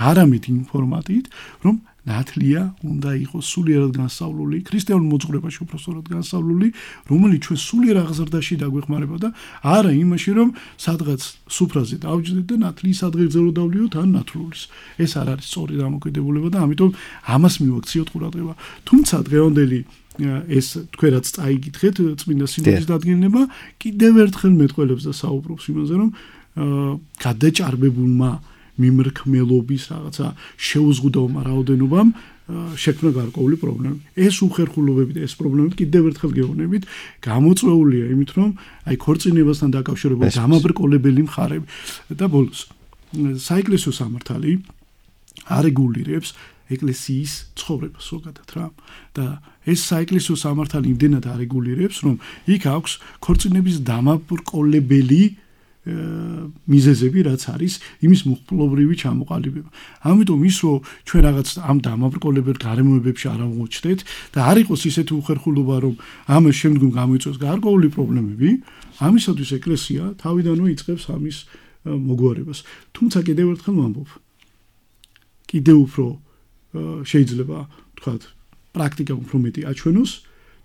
არამედ იმ ფორმატით, რომ ნათლია უნდა იყოს სულიერად განსავლული, ქრისტიანულ მოძღვრებაში უпростоრად განსავლული, რომელიც ჩვენ სულიერ აღზრდაში დაგვეხმარება და არა იმაში, რომ სადღაც სუფრაზე დავჯდეთ და ნათლიის ადგილზე დავლიოთ ან ნათლულის. ეს არ არის სწორი დამოკიდებულება და ამიტომ ამას მივაქციოთ ყურადღება. თუმცა დღევანდელი ეს თქვენ რაც წაიგითხეთ წმინდა სინოდის დადგენილება, კიდევ ერთხელ მეტყველებს და საუბრობს იმაზე, რომ გადაჭარბებულმა მიმრქმელობის რაღაცა შეუზღუდავმა რაოდენობამ შექმნა გარკვეული პრობლემა. ეს უხერხულობები და ეს პრობლემები კიდევ ერთხელ გეუბნებით, გამოწვეულია იმით, რომ აი ქორწინებასთან დაკავშირებული გამაბრკოლებელი მხარები და ბოლოს საეკლესიო სამართალი არეგულირებს ეკლესიის ცხოვრებას ზოგადად რა. და ეს საეკლესიო სამართალი იმდენად არეგულირებს, რომ იქ აქვს ქორწინების დამაბრკოლებელი მიზეზები, რაც არის იმის მუხლობრივი ჩამოყალიბება. ამიტომ ის რომ ჩვენ რაღაც ამ დამაბრკოლებელ გარემოებებში არ აღმოჩნდეთ და არ იყოს ისეთი უხერხულობა, რომ ამას შემდგომ გამოიწვევს გარკვეული პრობლემები, ამისათვის ეკლესია თავიდანვე იწყებს ამის მოგვარებას. თუმცა კიდევ ერთხელ ვამბობ, კიდევ უფრო შეიძლება თქვათ პრაქტიკა უფრო მეტი აჩვენოს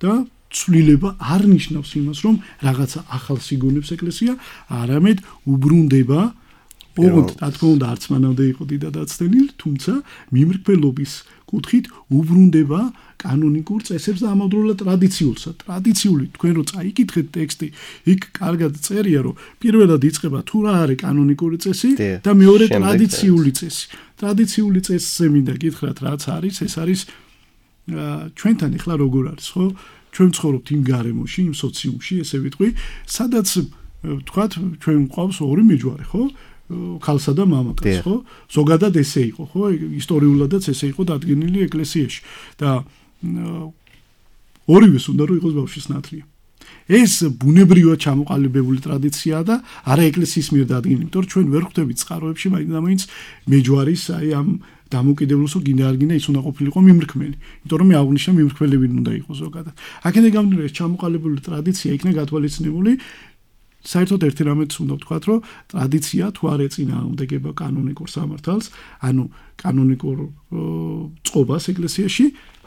და ცვლილება არ ნიშნავს იმას, რომ რაღაცა ახალს იგონებს ეკლესია, არამედ უბრუნდება ოღონდ რა თქმა უნდა არც მანამდე იყო დიდადაცდენილი, თუმცა მიმრგველობის კუთხით უბრუნდება კანონიკურ წესებს და ამავდროულად ტრადიციულსა. ტრადიციული თქვენ რო წაიკითხეთ ტექსტი, იქ კარგად წერია, რომ პირველად იწყება თუ რა არის კანონიკური წესი და მეორე ტრადიციული წესი. ტრადიციული წესზე მინდა გითხრათ რაც არის, ეს არის ჩვენთან ახლა როგორ არის, ხო? ჩვენ ცხოვრობთ იმ გარემოში, იმ სოციუმში, ესე ვიტყვი, სადაც თქვათ ჩვენ გვყავს ორი მეჯვარე, ხო? ქალსა და მამაკაცს, ხო? ზოგადად ესე იყო, ხო? ისტორიულადაც ესე იყო დადგენილი ეკლესიაში და ორივეს უნდა რომ იყოს ბავშვის ნათლია. ეს ბუნებრივად ჩამოყალიბებული ტრადიციაა და არა ეკლესიის მიერ დადგენილი, იმიტომ რომ ჩვენ ვერ ხვდებით წყაროებში მაინც მეჯვარის აი ამ დამოუკიდებლოსო გინდა არ გინდა ის უნდა ყოფილიყო მიმრქმელი, იმიტომ რომ მე აღნიშნე მიმრქმელები უნდა იყოს ზოგადად. აქედან გამომდინარე ეს ჩამოყალიბებული ტრადიცია იქნა გათვალისწინებული საერთოდ ერთი რამეც უნდა ვთქვათ, რომ ტრადიცია თუ არ ეწინააღმდეგება კანონიკურ სამართალს, ანუ კანონიკურ წყობას ეკლესიაში,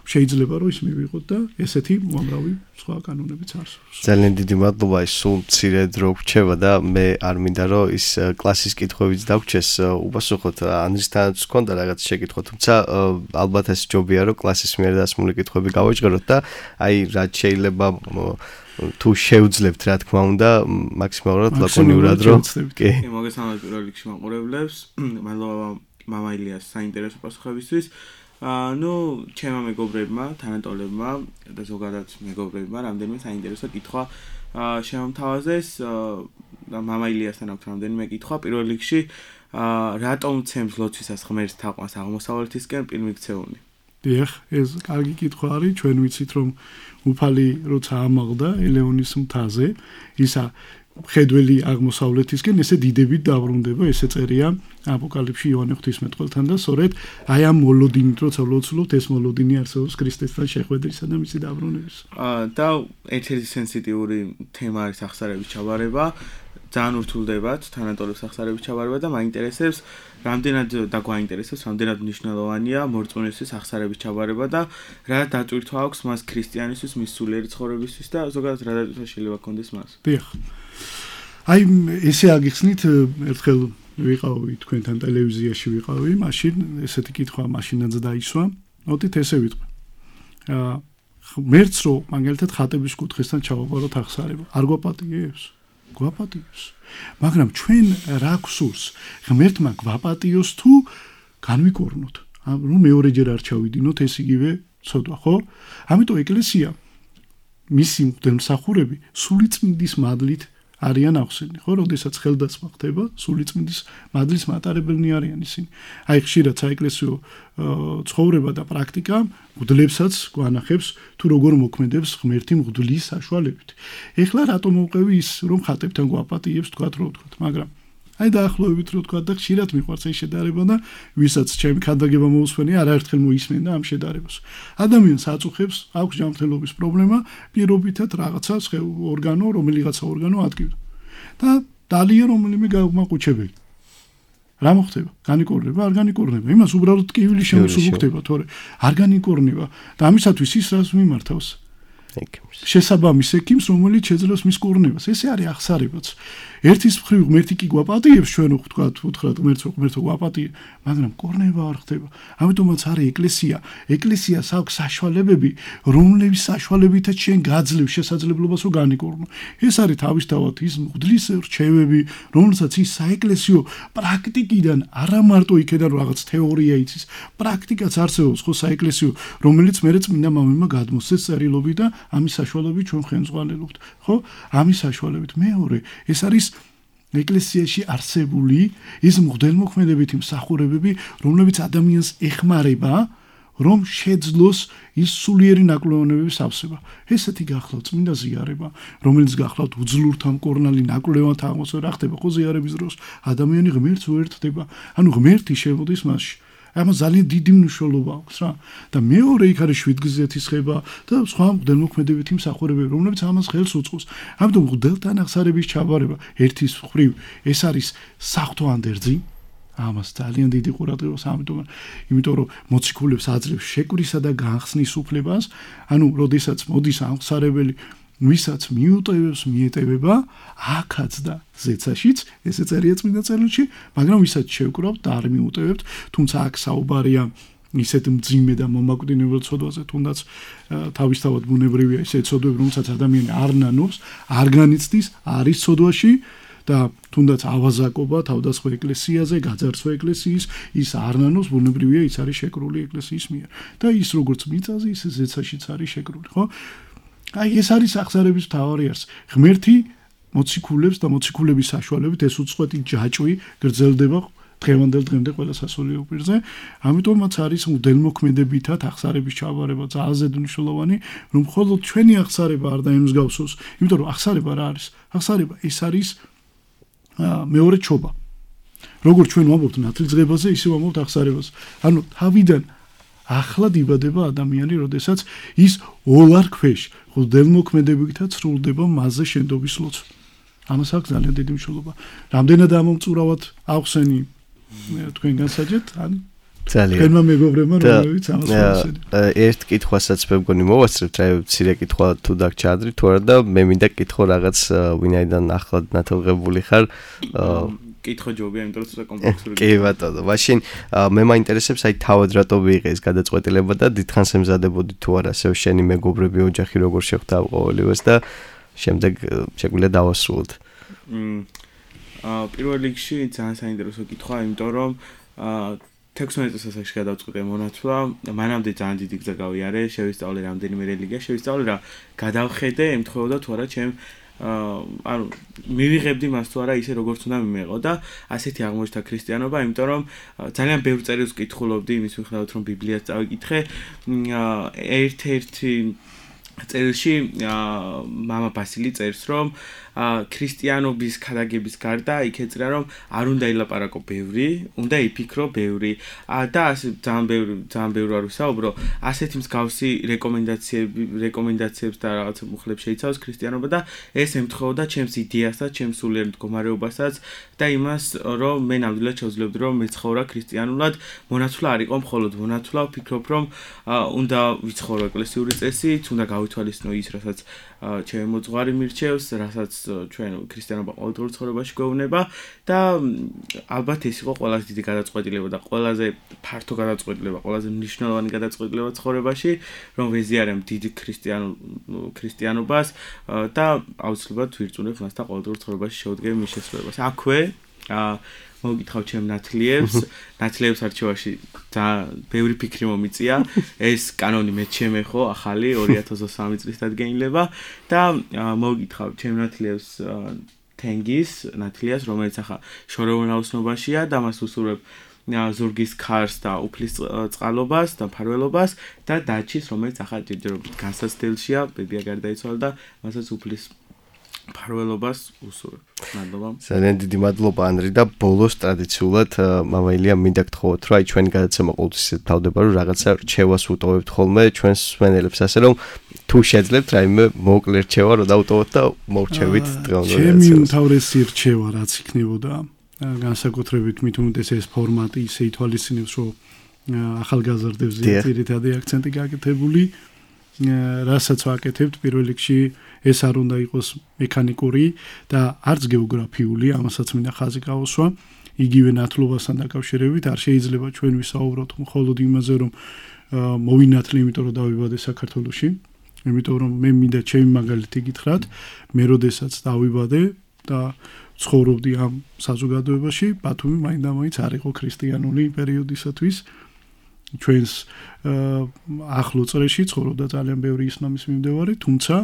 შეიძლება რომ ის მივიღოთ და ესეთი უამრავი სხვა კანონებიც არსებობს. ძალიან დიდი მადლობა, ის სულ მცირე დრო გვჩება და მე არ მინდა რომ ის კლასის კითხვებიც დაგვრჩეს, უპასუხოთ ანდრისთანაც გქონდა რაღაც შეკითხვა, თუმცა ალბათ ეს ჯობია რომ კლასის მიერ დასმული კითხვები გავაჭროთ და აი რაც შეიძლება თუ შევძლებთ რა თქმა უნდა მაქსიმალურად ლაკონიურად რომ კი მოგესალმებით პირველ რიგში მაყურებლებს, მადლობა მამა ილიას საინტერესო პასუხებისთვის. ну, ჩემმა მეგობრებმა, თანატოლებმა და ზოგადად მეგობრებმა რამდენიმე საინტერესო კითხვა შემომთავაზეს და მამა ილიასთან აქვს რამდენიმე კითხვა. პირველ რიგში, რატომ ცემს ლოცვისას ღმერთს თაყვანს აღმოსავლეთისკენ პირმიქცეული? დიახ, ეს კარგი კითხვა არის, ჩვენ ვიცით რომ უფალი როცა ამაღლდა ელეონის მთაზე, ისა ხედველი აღმოსავლეთისკენ ესე დიდებით დაბრუნდება, ესე წერია აპოკალიფში იოანე ღვთისმეტყველთან და სწორედ აი ამ მოლოდინით როცა ვლოცულობთ, ეს მოლოდინი არსებობს ქრისტესთან შეხვედრისა და მისი დაბრუნების. და ერთ-ერთი სენსიტიური თემა არის აღსარების ჩაბარება. ძალიან ურთულდებათ თანატოლებს აღსარების ჩაბარება და მაინტერესებს რამდენად და გვაინტერესებს რამდენად მნიშვნელოვანია მორწმუნისთვის აღსარების ჩაბარება და რა დატვირთვა აქვს მას ქრისტიანისთვის, მის სულიერი ცხოვრებისთვის და ზოგადად რა დატვირთვა შეიძლება კონდეს მას. დიახ. აი ესე აგიხსნით ერთხელ ვიყავი თქვენთან ტელევიზიაში ვიყავი, მაშინ ესეთი კითხვა მაშინაც დაისვა. მოდით ესე ვიტყვი. აა ღმერთს რო მაგალითად ხატების კუთხესთან ჩავაბაროთ აღსარება. არ გვაპატიებს? გვაპატიოს. მაგრამ ჩვენ რა გვსურს? ღმერთმა გვაპატიოს თუ განვიკორნოთ. რომ მეორეჯერ არ ჩავიდინოთ ეს იგივე ცოდვა, ხო? ამიტომ ეკლესია მისი მღვდელმსახურები სულიწმინდის მადლით არიან ახსენი, ხო, როდესაც ხელდასმა ხდება, სულიწმინდის მადლის მატარებელნი არიან ისინი. აი ხშირად საეკლესიო ცხოვრება და პრაქტიკა მღვდლებსაც გვანახებს თუ როგორ მოქმედებს ღმერთი მღვდლის საშუალებით. ეხლა რატომ მოვყევი ის რომ ხატებთან გვაპატიებს თქვათ რო ვთქვათ, მაგრამ აი დაახლოებით რო ვთქვათ და ხშირად მიყვარს ეს შედარება და ვისაც ჩემი ქადაგება მოусვენი არაერთხელ მოისმენდა ამ შედარებას. ადამიანს აწუხებს, აქვს ჯანმრთელობის პრობლემა, პირობითად რაღაცა ორგანო, რომელიღაცა ორგანო ადგილ. და დალია რომელიმე გამაყუჩებელი. რა მოხდება? განიკორნება, არ განიკორნება. იმას უბრალოდ ტკივილი შემოსულუქდება, თორე არ განიკორნება და ამისათვის ის რას მიმართავს? შესაბამის ექიმს, რომელიც შეძლებს მის კურნებას. ესე არის აღსარებაც. ერთის მხრივ ღმერთი კი გვაპატიებს, ჩვენ ვთქვათ, უთხრათ ღმერთს, ღმერთო გვაპატიე, მაგრამ კურნება არ ხდება. ამიტომაც არის ეკლესია. ეკლესიას აქვს საშუალებები, რომლების საშუალებითაც შენ გაძლევ შესაძლებლობას რომ განიკორნო. ეს არის თავისთავად ის მღვდლის რჩევები, რომელსაც ის საეკლესიო პრაქტიკიდან არა მარტო იქედან რაღაც თეორია იცის, პრაქტიკაც არსებობს ხო საეკლესიო, რომელიც მერე წმინდა მამებმა გადმოსცეს წერილობი და ამის საშუალებით ჩვენ ხელმძღვანელობთ, ხო? ამის საშუალებით მეორე, ეს არის ეკლესიაში არსებული ის მღვდელმოქმედებითი მსახურებები, რომლებიც ადამიანს ეხმარება, რომ შეძლოს ის სულიერი ნაკლებობების ავსება. ესეთი გახლავთ წმინდა ზიარება, რომელიც გახლავთ უძლურთა მკორნალი ნაკლებად აღმოსვლა რა ხდება ხო ზიარების დროს, ადამიანი ღმერთს უერთდება, ანუ ღმერთი შემოდის მასში. ამას ძალიან დიდი მნიშვნელობა აქვს რა და მეორე იქ არის შვიდგზეთის ხება და სხვა მღვდელმოქმედებითი მსახურებები, რომლებიც ამას ხელს უწყობს. ამიტომ მღვდელთან აღსარების ჩაბარება ერთის მხრივ ეს არის საღვთო ანდერძი, ამას ძალიან დიდი ყურადღებას ამიტომ, იმიტომ რომ მოციქულებს აძლევს შეკვრისა და განხსნის უფლებას, ანუ როდესაც მოდის აღსარებელი ვისაც მიუტევებს მიეტევება აქაც და ზეცაშიც, ესე წერია წმინდა წერილში, მაგრამ ვისაც შევკრავთ და არ მიუტევებთ, თუმცა აქ საუბარია ისეთ მძიმე და მომაკვდინებელ ცოდვაზე, თუნდაც თავისთავად ბუნებრივია ისეთ ცოდვები, რომელსაც ადამიანი არ ნანობს, არ განიცდის, არის ცოდვაში და თუნდაც ავაზაკობა თავდასხმა ეკლესიაზე, გაძარცვა ეკლესიის, ის არ ნანობს, ბუნებრივია ის არის შეკრული ეკლესიის მიერ. და ის როგორც მიწაზე, ისე ზეცაშიც არის შეკრული, ხო? აი ეს არის აღზარების მთავარი არს. ღმერთი მოციქულებს და მოციქულების საშუალებით ეს უწყვეტი ჯაჭვი გრძელდება დღევანდელ დღემდე ყველა სასულიერო პირზე. ამიტომაც არის მუდელმოქმედებითად აღზარების ჩაბარება ძალზე მნიშვნელოვანი, რომ მხოლოდ ჩვენი აღზარება არ დაემსგავსოს, იმიტომ რომ აღზარება რა არის? აღზარება ეს არის მეორე ჩობა. როგორც ჩვენ ვამბობთ ნათლისღებაზე, ისე ვამბობთ აღზარებაზე. ანუ თავიდან ახლად იბადება ადამიანი, როდესაც ის ოლარ ქვეშ მუდელმოქმედებითად სრულდება მასზე შენდობის ლოცვა. ამას აქვს ძალიან დიდი მნიშვნელობა. რამდენად ამომწურავად ახსენი თქვენ განსაჯეთ, ან ძალიან. თქვენმა მეგობრებმა რომლებიც ამას მოასწრებთ. ერთ კითხვასაც მე მგონი მოვასწრებთ, რა მცირე კითხვა თუ დაგჭა ადრე თუ არა და მე მინდა კითხო რაღაც ვინაიდან ახლად ნათელღებული ხარ კითხო ჯობია, იმიტომ რომ ცოტა კომპლექსური. კი ბატონო, მაშინ მე მაინტერესებს აი თავად რატო მიიღე ეს გადაწყვეტილება და დიდხანს ემზადებოდი თუ არა ასე შენი მეგობრები ოჯახი როგორ შეხვდა ყოველივეს და შემდეგ შეგვიძლია დავასრულოთ. აა პირველ რიგში ძალიან საინტერესო კითხვა, იმიტომ რომ აა თექვსმეტ წელს გადავწყვიტე მონათლა, მანამდე ძალიან დიდი გზა გავიარე, შევისწავლე რამდენიმე რელიგია, შევისწავლე რა გადავხედე, ემთხვეოდა თუ არა ჩემ ანუ მივიღებდი მას თუ არა ისე როგორც უნდა მიმეღო და ასეთი აღმოჩნდა ქრისტიანობა, იმიტომ რომ ძალიან ბევრ წერილს ვკითხულობდი იმის მიხედვით რომ ბიბლიას წავიკითხე, ერთ-ერთი წერილში მამა ბასილი წერს რომ ქრისტიანობის ქადაგების გარდა იქ ეწერა რომ არ უნდა ილაპარაკო ბევრი, უნდა იფიქრო ბევრი და ასე ძალიან ბევრი ძალიან ბევრი არ ვისაუბრო, ასეთი მსგავსი რეკომენდაციები რეკომენდაციებს და რაღაც მუხლებს შეიცავს ქრისტიანობა და ეს ემთხვეოდა ჩემს იდეასაც, ჩემს სულიერ მდგომარეობასაც და იმას რომ მე ნამდვილად შევძლებდი რომ მეცხოვრა ქრისტიანულად, მონათლა არ იყო მხოლოდ მონათლა, ვფიქრობ რომ უნდა ვიცხოვრო ეკლესიური წესით, უნდა გავითვალისწინო ის, რასაც ჩემი მოძღვარი მირჩევს, რასაც ჩვენ ქრისტიანობა ყოველდღიურ ცხოვრებაში გვეუბნება და ალბათ ეს იყო ყველაზე დიდი გადაწყვეტილება და ყველაზე ფართო გადაწყვეტილება, ყველაზე მნიშვნელოვანი გადაწყვეტილება ცხოვრებაში, რომ ვეზიარებ დიდ ქრისტიანულ ქრისტიანობას და აუცილებლად ვირწმუნებ მასთან ყოველდღიურ ცხოვრებაში შევდგები მის შესრულებას. აქვე მოგიკითხავ ჩემ ნათლიებს, ნათლიებს არჩევაში ძალიან ბევრი ფიქრი მომიწია. ეს კანონი მე ჩემე ხო, ახალი ორი ათას ოცდასამი წლის დადგენილება და მოგიკითხავ ჩემ ნათლიებს თენგის, ნათლიას, რომელიც ახლა შორეულ ნაოსნობაშია და მას უსურვებ ზურგის ქარს და უფლის წყალობას და მფარველობას და დაჩის, რომელიც ახლა ჯერჯერობით განსაცდელშია, ბებია გარდაიცვალა და მასაც უფლის მფარველობას უსურვებ. მადლობა. ძალიან დიდი მადლობა ანრი და ბოლოს ტრადიციულად მამა ილია მინდა გთხოვოთ, რომ აი ჩვენი გადაცემა ყოველთვის ისე თავდება, რომ რაღაცა რჩევას ვუტოვებთ ხოლმე ჩვენს მსმენელებს, ასე რომ თუ შეძლებთ რაიმე მოკლე რჩევა რომ დავუტოვოთ და მოვჩევით დღევანდელ გადაცემას. ჩემი უმთავრესი რჩევა რაც იქნებოდა, განსაკუთრებით მით უმეტეს ეს ფორმატი ისე ითვალისწინებს, რომ ახალგაზრდებზე ძირითადი აქცენტი გაკეთებული, რასაც ვაკეთებთ პირველ რიგში ეს არ უნდა იყოს მექანიკური და არც გეოგრაფიული, ამასაც მინდა ხაზი გავუსვა. იგივე ნათლობასთან დაკავშირებით არ შეიძლება ჩვენ ვისაუბროთ მხოლოდ იმაზე, რომ მოვინათლი, იმიტომ რომ დავიბადე საქართველოში, იმიტომ რომ მე მინდა ჩემი მაგალითი გითხრათ, მე როდესაც დავიბადე და ცხოვრობდი ამ საზოგადოებაში, ბათუმი მაინდა-მაინც არ იყო ქრისტიანული პერიოდისათვის. ჩვენს ახლო წრეში ცხოვრობდა ძალიან ბევრი ისლამის მიმდევარი, თუმცა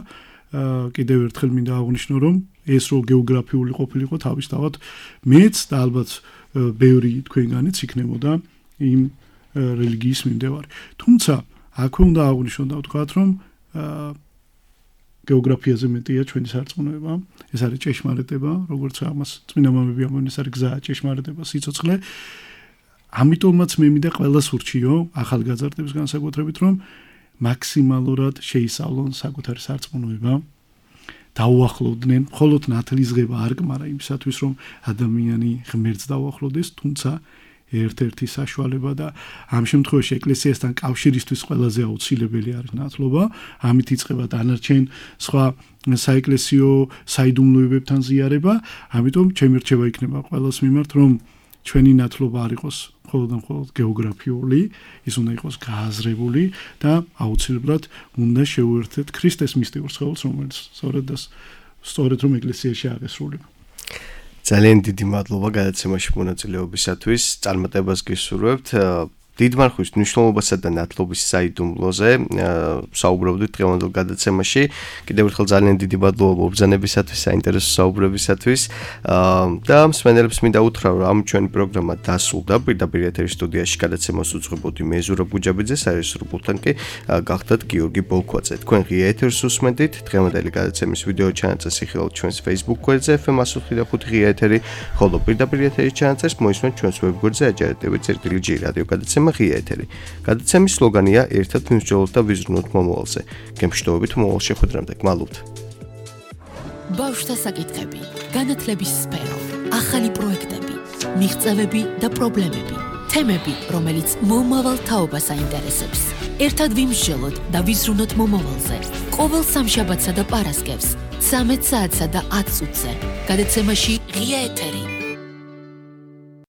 კიდევ ერთხელ მინდა აღვნიშნო, რომ ეს რო გეოგრაფიული ყოფილიყო თავისთავად მეც და ალბათ ბევრი თქვენგანიც იქნებოდა იმ რელიგიის მიმდევარი. თუმცა აქვე უნდა აღვნიშნო და ვთქვათ, რომ გეოგრაფიაზე მეტია ჩვენი სარწმუნოება, ეს არის ჭეშმარიტება, როგორც ამას წმინდა მამები ამბობენ, ეს არის გზა, ჭეშმარიტება, სიცოცხლე. ამიტომაც მე მინდა ყველას ურჩიო, ახალგაზრდებს განსაკუთრებით, რომ მაქსიმალურად შეისწავლონ საკუთარი სარწმუნოება, დაუახლოვდნენ, მხოლოდ ნათლისღება არ კმარა იმისათვის, რომ ადამიანი ღმერთს დაუახლოვდეს, თუმცა ერთ-ერთი საშუალება და ამ შემთხვევაში ეკლესიასთან კავშირისთვის ყველაზე აუცილებელი არის ნათლობა. ამით იწყება დანარჩენ სხვა საეკლესიო საიდუმლოებებთან ზიარება. ამიტომ ჩემი რჩევა იქნება ყველას მიმართ, რომ ჩვენი ნათლობა არ იყოს მხოლოდ და მხოლოდ გეოგრაფიული, ის უნდა იყოს გააზრებული და აუცილებლად უნდა შევუერთდეთ ქრისტეს მისტიურ სხეულს, რომელიც სწორედ და სწორედ რომ ეკლესიაში აღესრულება. ძალიან დიდი მადლობა გადაცემაში მონაწილეობისათვის. წარმატებას გისურვებთ. დიდ მარხვის მნიშვნელობასა და ნათლობის საიდუმლოზე საუბრობდით დღევანდელ გადაცემაში. კიდევ ერთხელ ძალიან დიდი მადლობა მობრძანებისათვის, საინტერესო საუბრებისათვის. და მსმენელებს მინდა უთხრა, რომ ამ ჩვენი პროგრამა დასრულდა. პირდაპირ ეთერის სტუდიაში გადაცემას უძღვებოდი მე ზურაბ გუჯაბიძე, სარეჟისორებთან კი გახდათ გიორგი ბოლქვაძე. თქვენ ღია ეთერს უსმენდით. დღევანდელი გადაცემის ვიდეო ჩანაწერს იხილავთ ჩვენს Facebook გვერდზე ეფ ემ one oh five ღია ეთერი, ხოლო პირდაპირ ეთერის ჩანაწერს მოისმენთ ჩვენს ვებგვერდზე აჯარეთები წერტილი ჯი რადიო გადაცემა ღია ეთერი. გადაცემის სლოგანია ერთად ვიმსჯელოთ და ვიზრუნოთ მომავალზე. გემშვიდობებით მომავალ შეხვედრამდე. გმალობთ. ბავშვთა საკითხები, განათლების სფერო, ახალი პროექტები, მიღწევები და პრობლემები, თემები, რომელიც მომავალ თაობას აინტერესებს. ერთად ვიმსჯელოთ და ვიზრუნოთ მომავალზე. ყოველ სამშაბათსა და პარასკევს, ცამეტ საათსა და ათ წუთზე. გადაცემაში ღია ეთერი.